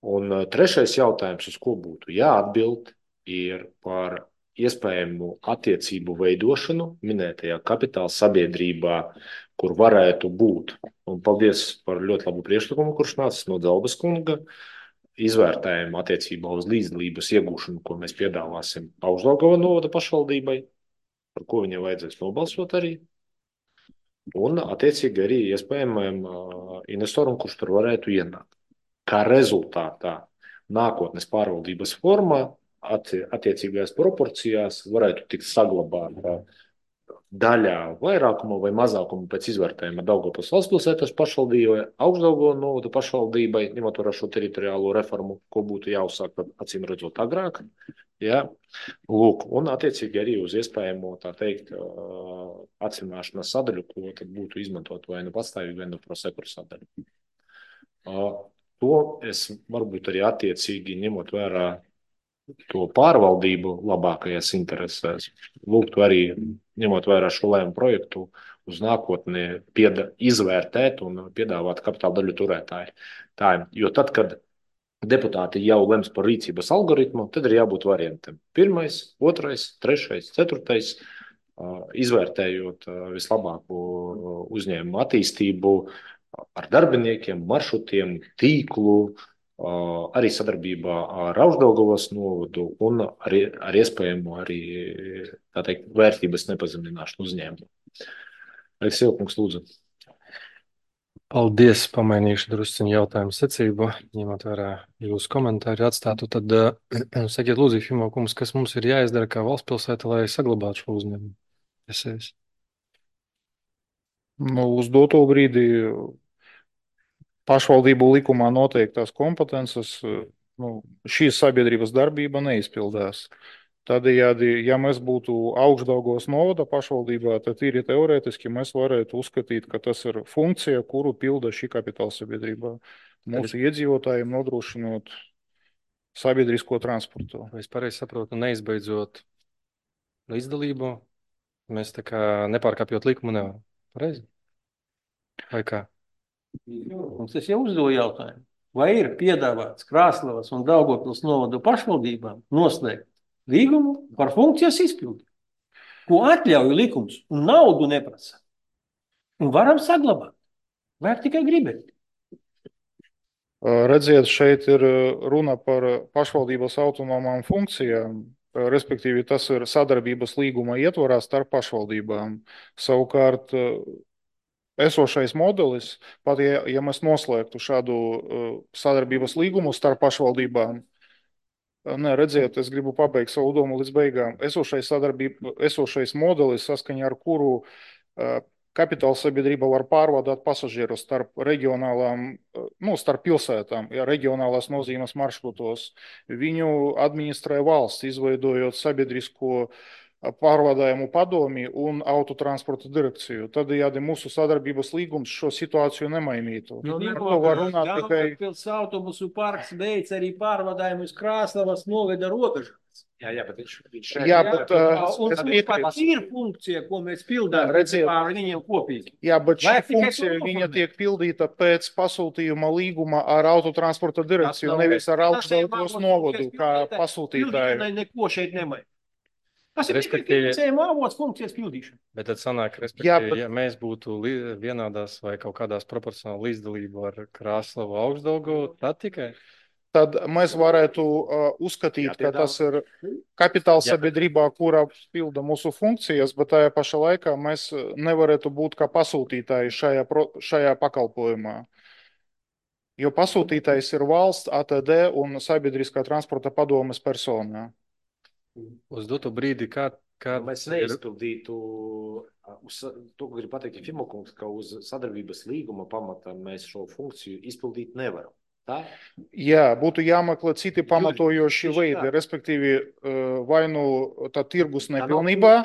Un trešais jautājums, uz ko būtu jāatbild, ir par iespējamu attiecību veidošanu minētajā kapitāla sabiedrībā, kur varētu būt. Un paldies par ļoti labu priekšlikumu, kurš nācis no Dzelbas kunga, izvērtējumu attiecībā uz līdzdalības iegūšanu, ko mēs piedāvāsim Augšdaugavas novada pašvaldībai, par ko viņiem vajadzēs nobalsot arī. Un attiecīgi arī iespējamajam investoram, kurš tur varētu ienākt. Kā rezultātā nākotnes pārvaldības formā attiecīgajās proporcijās varētu tikt saglabāta daļā vairākuma vai mazākuma pēc izvērtējuma Daugavpils valstspilsētas pašvaldībai, Augšdaugavas novada pašvaldībai, ņemot vērā šo teritoriālo reformu, ko būtu jāuzsāk, acīm redzot, agrāk. Ja? Lūk, un attiecīgi arī uz iespējamo, tā teikt, atsimināšanas sadaļu, ko tad būtu izmantot vai nu pastāvīgi, vai nu prosekuru sadaļu. To es varbūt arī attiecīgi ņemot vērā to pārvaldību labākajās interesēs. Lūgtu arī, ņemot vērā šo lēmumu projektu, uz nākotni izvērtēt un piedāvāt kapitāla daļu turētāju. Jo tad, kad deputāti jau lems par rīcības algoritmu, tad ir jābūt variantiem. 1., 2., 3., 4. Izvērtējot vislabāko uzņēmumu attīstību ar darbiniekiem, maršrutiem, tīklu, arī sadarbībā ar Augšdaugavas novadu un ar iespējamu arī, tā teikt, vērtības nepazemināšanu uzņēmumu. Aleksej Kungs, lūdzu. Paldies, pamainīšu drusciņu jautājumu secību, ņemot vērā jūsu komentāru atstātu, tad sakiet lūdzu, Fimo kungs, kas mums ir jāizdara kā valsts pilsēta, lai saglabātu šo uzņēmumu? Uz doto brīdi pašvaldību likumā noteiktās kompetences, šīs sabiedrības darbība neizpildās. Tādējādi, ja mēs būtu Augšdaugavas novada pašvaldībā, tad tīri teorētiski mēs varētu uzskatīt, ka tas ir funkcija, kuru pilda šī kapitāla sabiedrība mūsu iedzīvotājiem nodrošinot sabiedrisko transportu. Vai es pareizi saprotu, neizbeidzot līdzdalību, mēs tā kā nepārkāpjot likumu nevaram? Pareizi? Vai kā? Mums es jau uzdevu jautājumu. Vai ir piedāvāts Krāslavas un Daugavpils novadu pašvaldībām noslēgt līgumu par funkcijas izpildi, ko atļauj likums un naudu neprasa? Un varam saglabāt. Vajag tikai gribēt. Redziet, šeit ir runa par pašvaldības autonomām funkcijām, respektīvi tas ir sadarbības līguma ietvarā starp pašvaldībām. Savukārt, esošais modelis, pat ja mēs noslēgtu šādu sadarbības līgumu starp pašvaldībām, redziet, es gribu pabeigt savu domu līdz beigām. Esošais modelis, saskaņā ar kuru kapitāla sabiedrība var pārvadāt pasažierus starp reģionālām, starp pilsētām, reģionālās nozīmes maršrutos. Viņu administrē valsts, izveidojot sabiedrisko pārvadājumu padomi un autotransporta direkciju. Tādējādi mūsu sadarbības līgums šo situāciju nemainītu. Daugavpils autobusu parks beidz arī pārvadājumu uz Krāslavas novada robežas. Jā, bet viņš ir funkcija, ko mēs pildām ar viņiem kopīgi. Jā, bet šī funkcija viņa tiek pildīta pēc pasūtījuma līguma ar autotransporta direkciju, nevis ar Augšdaugavas novadu, kā pasūtītāju. Neko šeit nemai. Tas ir tikai finansējuma avots funkcijas pildīšana. Bet tad sanāk, respektīvi, ja mēs būtu vienādās vai kaut kādās proporcionāli līdzdalību ar Krāslavu Augšdaugavu, tad tikai... Tad mēs varētu uzskatīt, ka tas ir kapitāla sabiedrībā, kura pilda mūsu funkcijas, bet tajā pašā laikā mēs nevarētu būt kā pasūtītāji šajā pakalpojumā. Jo pasūtītājs ir valsts, ATD un sabiedriskā transporta padomes persona. Uz doto brīdi, kā mēs neizpildītu, to gribu pateikt Fimo kungs, ka uz sadarbības līguma pamata mēs šo funkciju izpildīt nevaram. Tā? Jā, būtu jāmeklē citi pamatojoši veidi, respektīvi vai nu tā tirgus nepilnībā,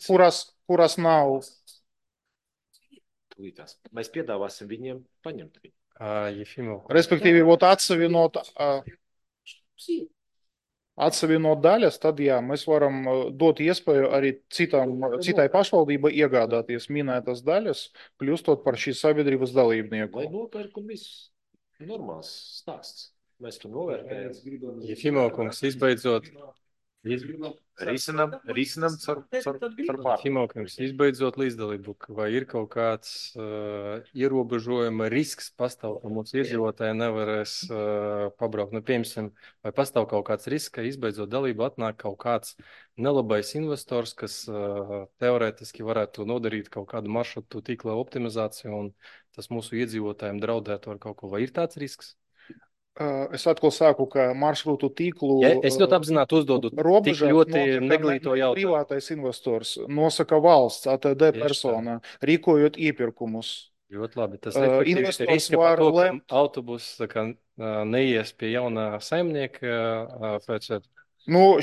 kuras nav. Mēs piedāvāsim viņiem paņemt viņu. Respektīvi, atsevienot daļas, tad jā, mēs varam dot iespēju arī citai pašvaldībai iegādāties minētas daļas, kļūstot par šīs sabiedrības dalībnieku. Vai nopērkam viss? Normāls stāsts. Mēs to novērtējam. Ja Fimo kungs izbeidzot... Risinam caur pār. Fimo kungs izbeidzot līdzdalību, vai ir kaut kāds ierobežojuma risks pastāv, ka mūsu iedzīvotāji nevarēs pabraukt? Piemēram, vai pastāv kaut kāds risks, ka izbeidzot dalību atnāk kaut kāds nelabais investors, kas teorētiski varētu nodarīt kaut kādu maršrutu tīkla optimizāciju un tas mūsu iedzīvotājiem draudētu ar kaut ko? Vai ir tāds risks? Es atkal saku, ka maršrutu tīklu es ļoti apzināti uzdodu tik ļoti neglīto jautājumu. Privātais investors nosaka valsts, ATD persona, rīkojot iepirkumus. Ļoti labi. Tas risks par to, ka autobus neies pie jaunā saimnieka pēc...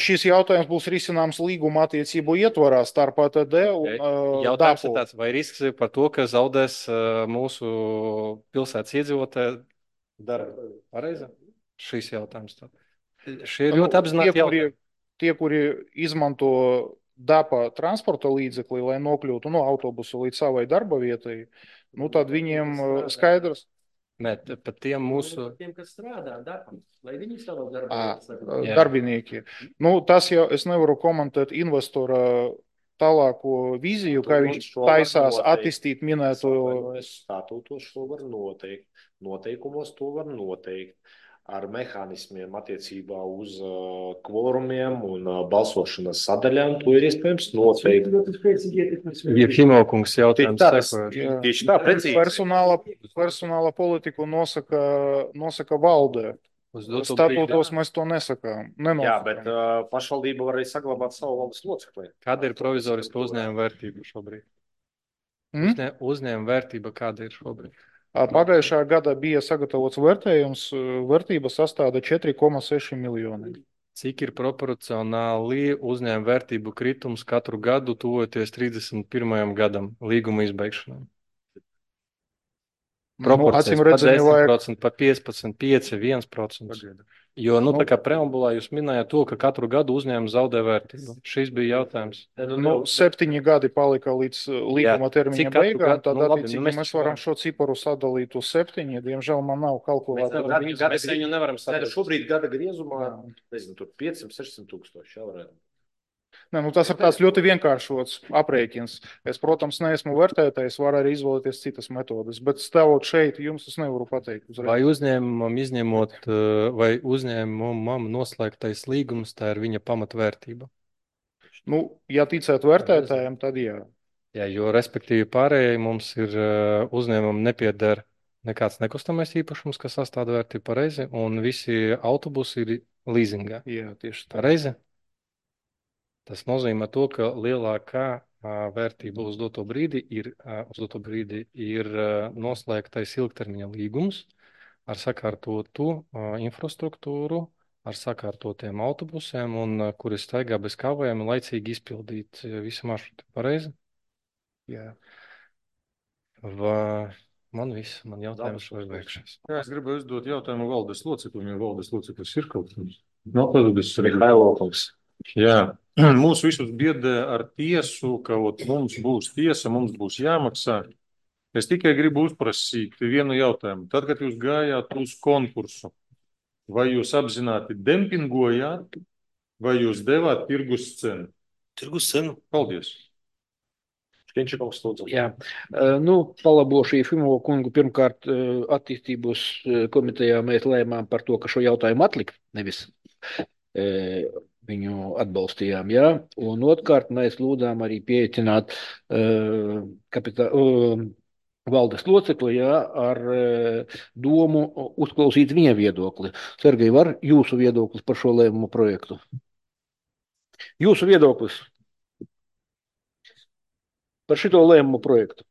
Šis jautājums būs risināms līguma attiecību ietvarā starp ATD un jautājums ir tāds, vai risks ir par to, ka zaudēs mūsu pilsētas iedzīvotāji dara pareizi? Šis jautājums. Šie ir ļoti apzināti jautājumi. Tie, kuri izmanto DAPA transporta līdzekli, lai nokļūtu no autobusu līdz savai darba vietai, tad viņiem skaidrs. Nē, pat tiem mūsu... Tiem, kas strādā darbā, lai viņi savā darbā Jā. Darbinieki. Nu, tas jau es nevaru komentēt investora tālāko vīziju, kā viņš taisās attīstīt minēto. Statūtos to var noteikt, noteikumos to var noteikt. Ar mehānismiem attiecībā uz kvorumiem un balsošanas sadaļām to ir iespējams noteikt. Jefimokungs jautājums Tieši tā, precīzi. Personāla politiku nosaka valdē. Statūtos mēs to nesakām. Jā, bet pašvaldība var arī saglabāt savu valdes locekli. Kāda ir provizoriska uzņēmuma vērtība šobrīd? Uzņēmuma vērtība kāda ir šobrīd? Pagājušā gada bija sagatavots vērtējums, vērtība sastāda 4,6 miljoni. Cik ir proporcionāli uzņēmuma vērtību kritums katru gadu tuvoties 31. gadam līguma izbeigšanai? Proporcijas pa 10%, pa 15%, 5%, 1%. Jo, tā kā preambulā jūs minējāt to, ka katru gadu uzņēmums zaudē vērtību. Šis bija jautājums. 7 gadi palika līdz līguma termiņa beigām, tad attiecīgi mēs varam šo ciparu sadalīt uz 7. Diemžēl man nav kalkulātora. Mēs viņu nevaram sadalīt. Šobrīd gada griezumā, nezinu, tur 500-600 tūkstoši, jā, varētu. Tas ir tāds ļoti vienkāršots aprēķins. Es, protams, neesmu vērtētājs, var arī izvēlēties citas metodes, bet stāvot šeit, jums es nevaru pateikt uzreiz. Vai uzņēmumam izņemot, vai uzņēmumam noslēgtais līgums, tā ir viņa pamatvērtība? Ja ticēt vērtētājiem, tad jā. Jā, jo respektīvi pārējai mums ir uzņēmumam nepieder nekāds nekustamais īpašums, kas sastāda vērtību pareizi, un visi autobusi ir līzingā. Jā, tieši tā. Pareizi? Tas nozīmē to, ka lielākā vērtība uz doto brīdi ir noslēgtais ilgtermiņa līgums ar sakārtotu infrastruktūru, ar sakārtotiem autobusiem, un kuri staigā bez kavējuma laicīgi izpildīt visu maršrutu. Pareizi? Jā. Man jautājums vai beigšās. Jā, es gribu uzdot jautājumu valdes loceklim, jo valdes loceklis ir kaut kas. Mihailovkungs. Jā, mūs visus biedē ar tiesu, ka mums būs tiesa, mums būs jāmaksā. Es tikai gribu uzprasīt vienu jautājumu. Tad, kad jūs gājāt uz konkursu, vai jūs apzināti dempingojāt, vai jūs devāt tirgus cenu? Tirgus cenu. Paldies. Jā, palabošu Jefimovu kungu. Pirmkārt, attīstības komitejā mēs lēmām par to, ka šo jautājumu atlikt, nevis viņu atbalstījām, jā. Un otrkārt, mēs lūdzām arī pieaicināt valdes locekli, jā, ar domu uzklausīt viņa viedokli. Sergej, var jūsu viedoklis par šo lēmumu projektu? Jūsu viedoklis par šito lēmumu projektu?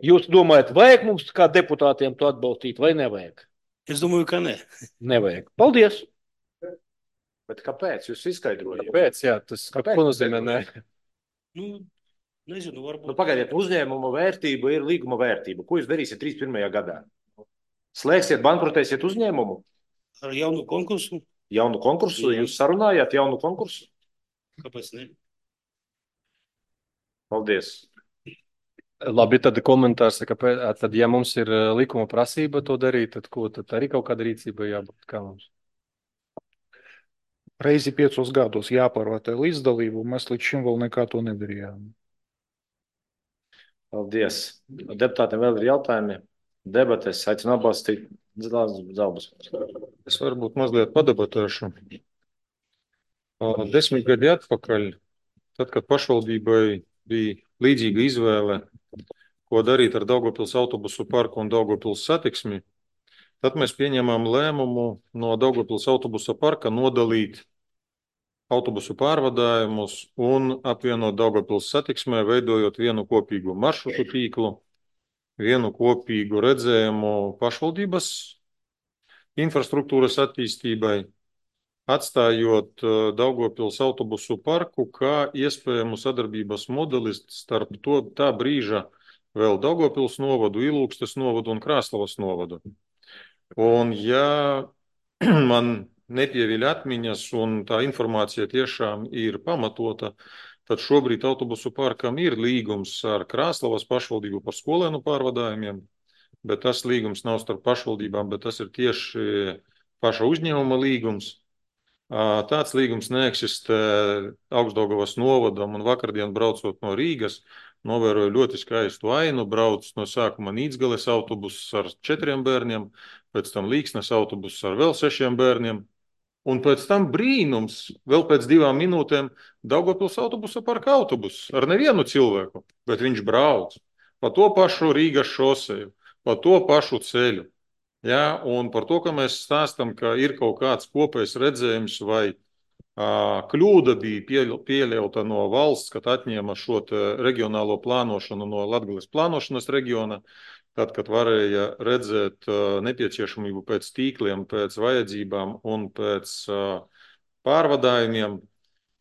Jūs domājat, vajag mums kā deputātiem to atbalstīt vai nevajag? Es domāju, ka ne. Nevajag. Paldies! Bet kāpēc? Jūs izskaidrojat. Kāpēc? Jā, tas ko nozīmē ne? Nezinu, varbūt. Pagaidiet, uzņēmuma vērtība ir līguma vērtība. Ko jūs darīsiet 31. gadā? Slēgsiet, bankrotēsiet uzņēmumu? Ar jaunu konkursu. Jaunu konkursu? Jā. Jūs sarunājāt jaunu konkursu? Kāpēc ne? Paldies. Labi, tad komentārs, tad ja mums ir likuma prasība to darīt, tad ko? Tad arī kaut kāda rīcība jābūt kā mums? Reizi 5 gados jāpārvērtē līdzdalību, mēs līdz šim vēl nekā to nedarījām. Paldies. Deputātiem vēl ir jautājumi. Debates aicinu atbalstīt Zalbas. Es varbūt mazliet padebatēšu. 10 gadi atpakaļ, tad, kad pašvaldībai bija līdzīga izvēle, ko darīt ar Daugavpils autobusu parku un Daugavpils satiksmi, tad mēs pieņēmām lēmumu no Daugavpils autobusa parka nodalīt autobusu pārvadājumus un apvienot Daugavpils satiksmē, veidojot vienu kopīgu maršrutu tīklu, vienu kopīgu redzējumu pašvaldības infrastruktūras attīstībai, atstājot Daugavpils autobusu parku kā iespējamu sadarbības modelis starp tā brīža vēl Daugavpils novadu, Ilūgstes novadu un Krāslavas novadu. Un ja man nepieviļ atmiņas un tā informācija tiešām ir pamatota, tad šobrīd autobusu parkam ir līgums ar Krāslavas pašvaldību par skolēnu pārvadājumiem, bet tas līgums nav starp pašvaldībām, bet tas ir tieši paša uzņēmuma līgums. Tāds līgums neeksistē Augstdaugavas novadam, un vakardien braucot no Rīgas, novēroju ļoti skaistu ainu, brauc no sākuma Nīdzgales autobuss ar 4 bērniem, pēc tam Līksnes autobuss ar vēl 6 bērniem, un pēc tam brīnums, vēl pēc 2 minūtēm Daugavpils autobusa parka autobuss ar nevienu cilvēku, bet viņš brauc pa to pašu Rīgas šoseju, pa to pašu ceļu. Ja, un par to, ka mēs stāstam, ka ir kaut kāds kopējs redzējums vai kļūda bija pieļauta no valsts, kad atņēma šo reģionālo plānošanu no Latgales plānošanas reģiona, tad, kad varēja redzēt nepieciešamību pēc tīkliem, pēc vajadzībām un pēc pārvadājumiem.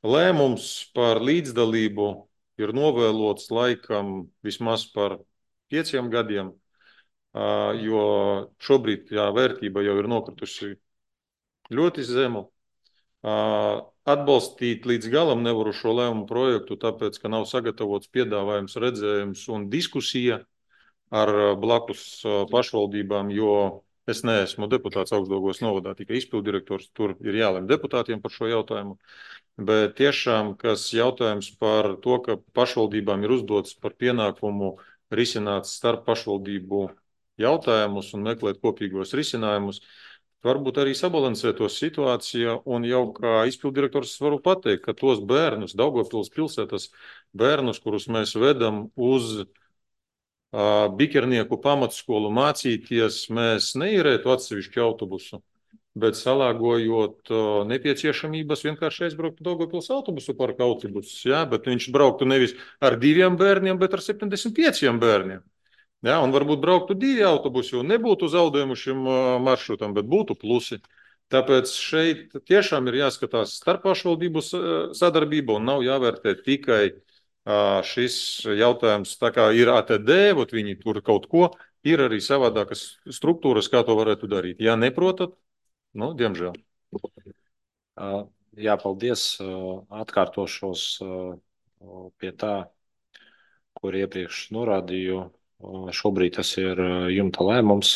Lēmums par līdzdalību ir novēlots laikam vismaz par 5 gadiem, jo šobrīd vērtība jau ir nokritusi ļoti zemu. Atbalstīt līdz galam nevaru šo lēmumu projektu, tāpēc, ka nav sagatavots piedāvājums, redzējums un diskusija ar blakus pašvaldībām, jo es neesmu deputāts Augstdaugavas novadā, tikai izpilddirektors, tur ir jālem deputātiem par šo jautājumu. Bet tiešām, kas jautājums par to, ka pašvaldībām ir uzdots par pienākumu risināt starp pašvaldību jautājumus un meklēt kopīgos risinājumus, varbūt arī sabalansēt to situāciju, un jau kā izpilddirektors varu pateikt, ka tos bērnus, Daugavpils pilsētas bērnus, kurus mēs vedam uz Bikernieku pamatskolu mācīties, mēs neīrētu atsevišķu autobusu, bet salāgojot nepieciešamības vienkārši aizbraukt Daugavpils autobusu parka autobusus, bet viņš brauktu nevis ar 2 bērniem, bet ar 75 bērniem. Ja, un varbūt brauktu 2 autobusi, un nebūtu zaudējumu šim maršrutam, bet būtu plusi. Tāpēc šeit tiešām ir jāskatās starp pašvaldību sadarbību un nav jāvērtē tikai šis jautājums, tā kā ir ATD, viņi tur kaut ko, ir arī savādākas struktūras, kā to varētu darīt. Ja neprotat, diemžēl. Jā, paldies. Atkārtošos pie tā, kur iepriekš norādīju. Šobrīd tas ir jumta lēmums.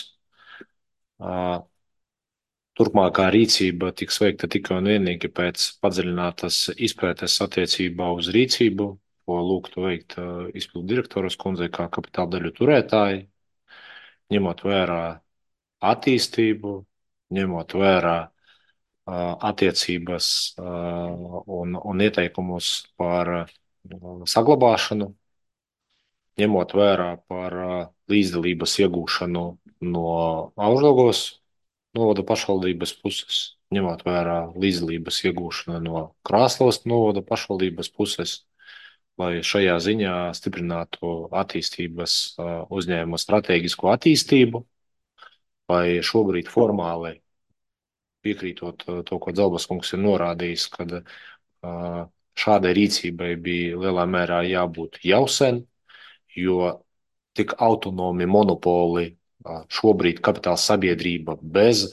Turpmākā rīcība tiks veikta tikai un vienīgi pēc padziļinātas izpētes attiecībā uz rīcību, ko lūgtu veikt izpilddirektoras kundzei kā kapitāla daļu turētāji, ņemot vērā attīstību, ņemot vērā attiecības un ieteikumus par saglabāšanu, ņemot vērā par līdzdalības iegūšanu no Augstdaugavas novada pašvaldības puses, ņemot vērā līdzdalības iegūšanu no Krāslavas novada pašvaldības puses, lai šajā ziņā stiprinātu attīstības uzņēmuma stratēģisko attīstību, vai šobrīd formāli piekrītot to, ko Dzelbas kungs ir norādījis, kad šādai rīcībai bija lielā mērā jābūt jau sen, jo tik autonomi monopoli šobrīd kapitāla sabiedrība bez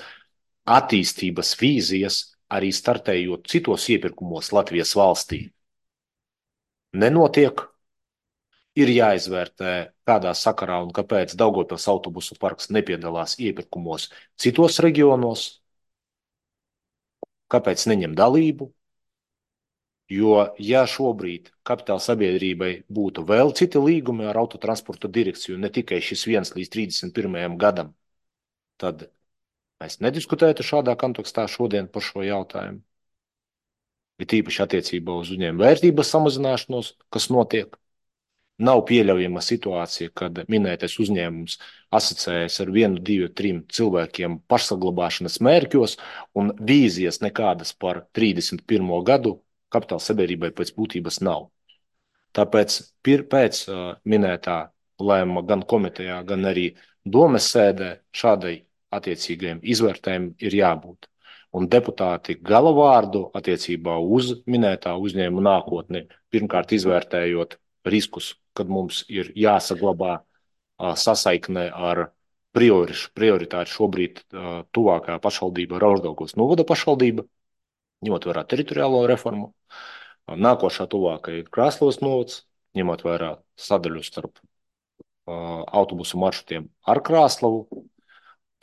attīstības vīzijas, arī startējot citos iepirkumos Latvijas valstī, nenotiek. Ir jāizvērtē, kādā sakarā un kāpēc Daugavpils autobusu parks nepiedalās iepirkumos citos reģionos, kāpēc neņem dalību. Jo, ja šobrīd kapitāla sabiedrībai būtu vēl citi līgumi ar autotransporta direkciju, ne tikai šis 1 līdz 31. gadam, tad mēs nediskutētu šādā kontekstā šodien par šo jautājumu. Ir īpaši attiecībā uz uzņēmuma vērtības samazināšanos, kas notiek. Nav pieļaujama situācija, kad minētais uzņēmums asociējas ar 1, 2, 3 cilvēkiem pašsaglabāšanas mērķos un vīzijas nekādas par 31. gadu kapitāla sabiedrībai pēc būtības nav. Tāpēc pēc minētā lēmuma gan komitejā, gan arī domes sēdē šādai attiecīgajiem izvērtējumiem ir jābūt. Un deputāti galavārdu attiecībā uz minētā uzņēmuma nākotni, pirmkārt izvērtējot riskus, kad mums ir jāsaglabā sasaikne ar prioritāri šobrīd tuvākā pašvaldība ar Augstdaugavas novada pašvaldība, ņemot vērā teritoriālo reformu. Nākošā tuvākā ir Krāslavas novads, ņemot vērā sadaļu starp autobusu maršrutiem ar Krāslavu,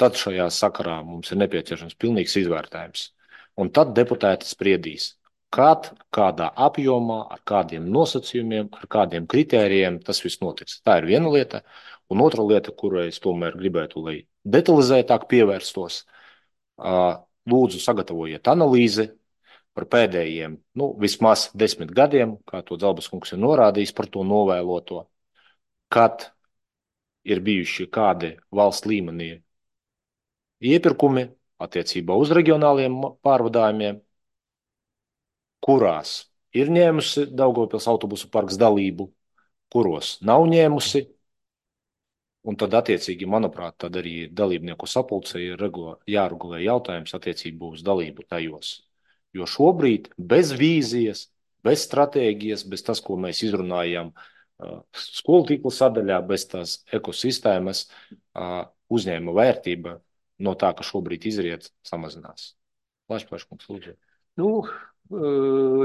tad šajā sakarā mums ir nepieciešams pilnīgs izvērtējums. Un tad deputāti spriedīs, kad, kādā apjomā, ar kādiem nosacījumiem, ar kādiem kritērijiem tas viss notiks. Tā ir viena lieta. Un otra lieta, kurai es tomēr gribētu, lai detalizētāk pievērstos, lūdzu sagatavojiet analīzi par pēdējiem, vismaz 10 gadiem, kā to Dzelbas kungs ir norādījis par to novēloto, kad ir bijuši kādi valsts līmenī iepirkumi attiecībā uz reģionāliem pārvadājumiem, kurās ir ņēmusi Daugavpils autobusu parks dalību, kuros nav ņēmusi. Un tad, attiecīgi, manuprāt, tad arī dalībnieku sapulcē ir jāregulē jautājums attiecībā uz dalību tajos. Jo šobrīd bez vīzijas, bez stratēģijas, bez tas, ko mēs izrunājam skolu tīkla sadaļā, bez tās ekosistēmas, uzņēmuma vērtība no tā, ka šobrīd izriet, samazinās. Plaškungs, lūdzu.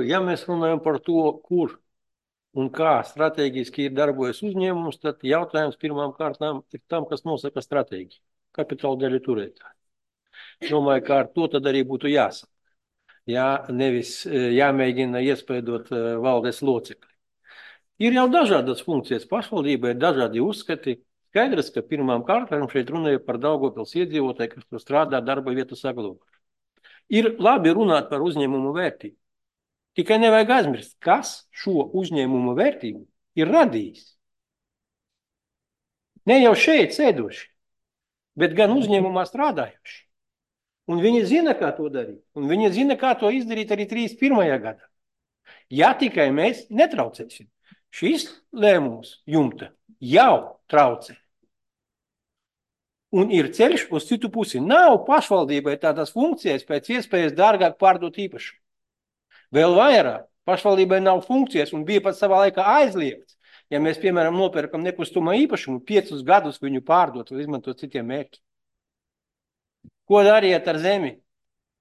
Ja mēs runājam par to, kur un kā strateģiski ir darbojas uzņēmums, tad jautājums pirmām kārtām ir tam, kas nosaka stratēģiju. Kapitāla daļu turētāji. Domāju, ka ar to tad arī būtu jāsaka. Nevis jāmēģina iespēdot valdes locekli. Ir jau dažādas funkcijas. Pašvaldībai ir dažādi uzskati. Skaidrs, ka pirmām kārtām šeit runāja par Daugavpils iedzīvotāju, kas tur strādā darba vietu saglabāšanu. Ir labi runāt par uzņēmumu vērtību. Tikai nevajag aizmirst, kas šo uzņēmumu vērtību ir radījis. Ne jau šeit sēdoši, bet gan uzņēmumā strādājuši. Un viņi zina, kā to darīt. Un viņi zina, kā to izdarīt arī 31. gadā. Ja tikai mēs netraucēsim. Šis lēmums jumta jau traucē. Un ir ceļš uz citu pusi. Nav pašvaldībai tādas funkcijas pēc iespējas dārgāk pārdot īpašumu. Vēl vairāk, pašvaldībai nav funkcijas un bija pat savā laikā aizliegts. Ja mēs, piemēram, nopērkam nekustamā īpašumu, 5 gadus viņu pārdot vai izmantot citiem mērķiem. Ko dariet ar zemi?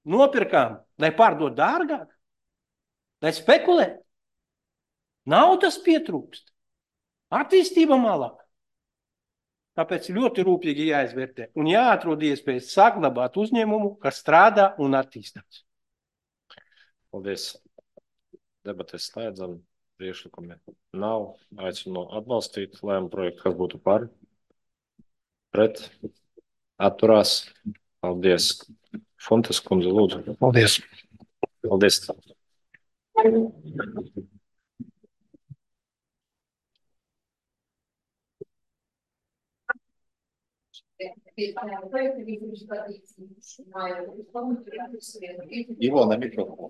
Nopirkām, lai pārdot dārgāk? Lai spekulē? Naudas pietrūkst. Attīstība malāk. Tāpēc ļoti rūpīgi jāizvērtē un jāatrod iespējas saglabāt uzņēmumu, kas strādā un attīstās. Paldies. Debates slēdzam. Priekšlikumi nav. Aicinu atbalstīt lēmumu projektu, kas būtu par. Pret. Atturās. Paldies. Fontes kundze, lūdzu. Paldies. Paldies. Ivona,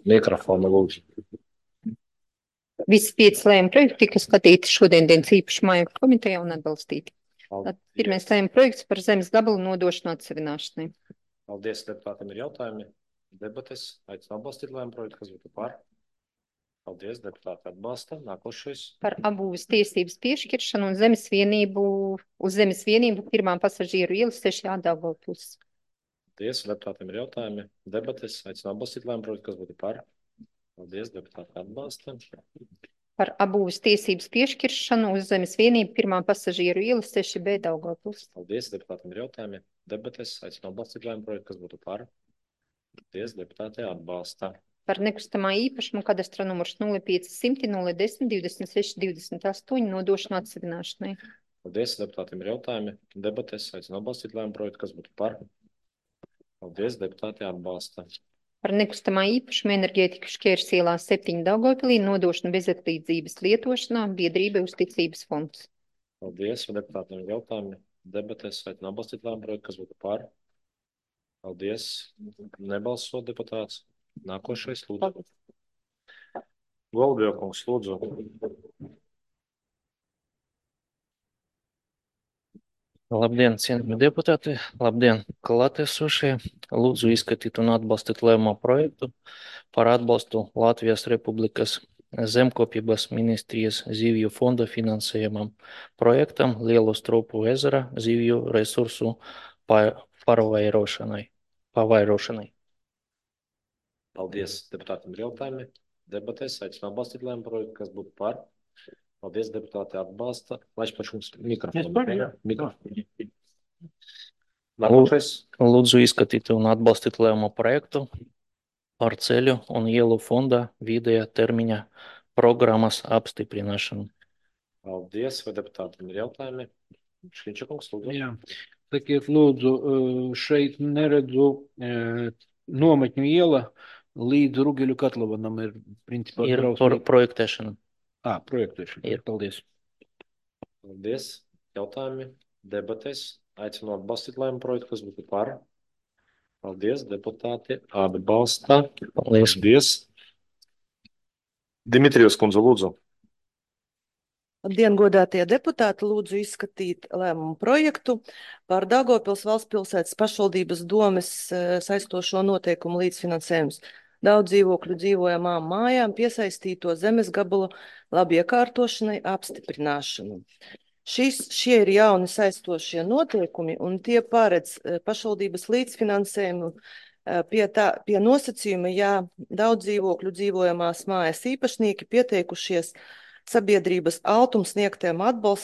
mikrofonu lūdzu. Visi 5 lēmuma projekti tika skatīti šodien dienas īpaši mājokļu komitejā un atbalstīti. Pirmais lēmuma projekts par zemes gabalu nodošanu atsevināšanai. Paldies, deputātiem ir jautājumi. Debates. Aicinu atbalstīt lēmumu projektu, kas būtu par. Paldies, deputāti atbalsta. Nākošais. Par apbūves tiesības piešķiršanu un uz zemes vienību pirmām pasažieru ielas 6. Daugavpils. Paldies, deputātiem ir jautājumi. Debates. Aicinu atbalstīt lēmumu projektu, kas būtu par. Paldies, deputāti atbalsta. Par apbūves tiesības piešķiršanu uz zemes vienību pirmām pasažieru ielas 6B Daugavpils. Paldies, deputātiem ir jautājumi. Debates. Aicinu atbalstīt lēmumu projektu, kas būtu par. Paldies, deputāti atbalsta. Par nekustamā īpašumu kadastra numurs 0500 010 26 28 nodošanu atsevināšanai. Paldies, deputātiem ir jautājumi. Debates. Aicinu atbalstīt lēmumu projektu, kas būtu par. Paldies, deputāti atbalsta. Par nekustamā īpašumu enerģētikas šķērs ielā 7 Daugavpilī nodošanu bezatlīdzības lietošanā biedrībai Uzticības fonds. Paldies, deputātiem ir jautājumi. Debates. Aicinu atbalstīt lēmumu projektu, kas būtu par. Paldies. Nebalso deputāts. Nākošais, lūdzu. Golubjovkungs, lūdzu. Labdien, cienījami deputāti. Labdien, klātesošie. Lūdzu izskatīt un atbalstīt lēmumu projektu par atbalstu Latvijas Republikas Zemkopības ministrijas zivju fonda finansējumam projektam Lielo Stropu ezera zivju resursu pavairošanai. Paldies, deputātiem ir jautājumi. Debatēs aicinu atbalstīt lēmumu projektu, kas būtu par. Paldies, deputāti atbalsta. Laiž pašums Es mikrofonu. par, jā. Mikrofonu. Nākošais. Lūdzu izskatīt un atbalstīt lēmumu projektu par ceļu un ielu fonda vidējā termiņa programmas apstiprināšanu. Paldies, vai deputātam ir jautājumi? Šļiņčakungs, lūdzu. Jā. Sakiet, lūdzu, šeit neredzu nometņu iela līdz Rugeļu Katlavanam ir principā Ir drausmīgi. projektēšana. Projektēšana. Ir. Paldies. Paldies. Jautājumi, debates. Aicinu atbalstīt lēmumu projektu, kas būtu par. Paldies, deputāti atbalsta. Paldies. Paldies. Dimitrijus kundze, lūdzu. Labdien, godātie deputāti, lūdzu izskatīt lēmumu projektu par Daugavpils valsts pilsētas pašvaldības domes saistošo noteikumu līdzfinansējums daudz dzīvokļu dzīvojamām mājām piesaistīto zemes gabalu labi iekārtošanai apstiprināšanu. Šie ir jauni saistošie noteikumi, un tie paredz pašvaldības līdzfinansējumu pie nosacījuma, ja daudz dzīvokļu dzīvojamās mājas īpašnieki pieteikušies sabiedrības altums sniegtiem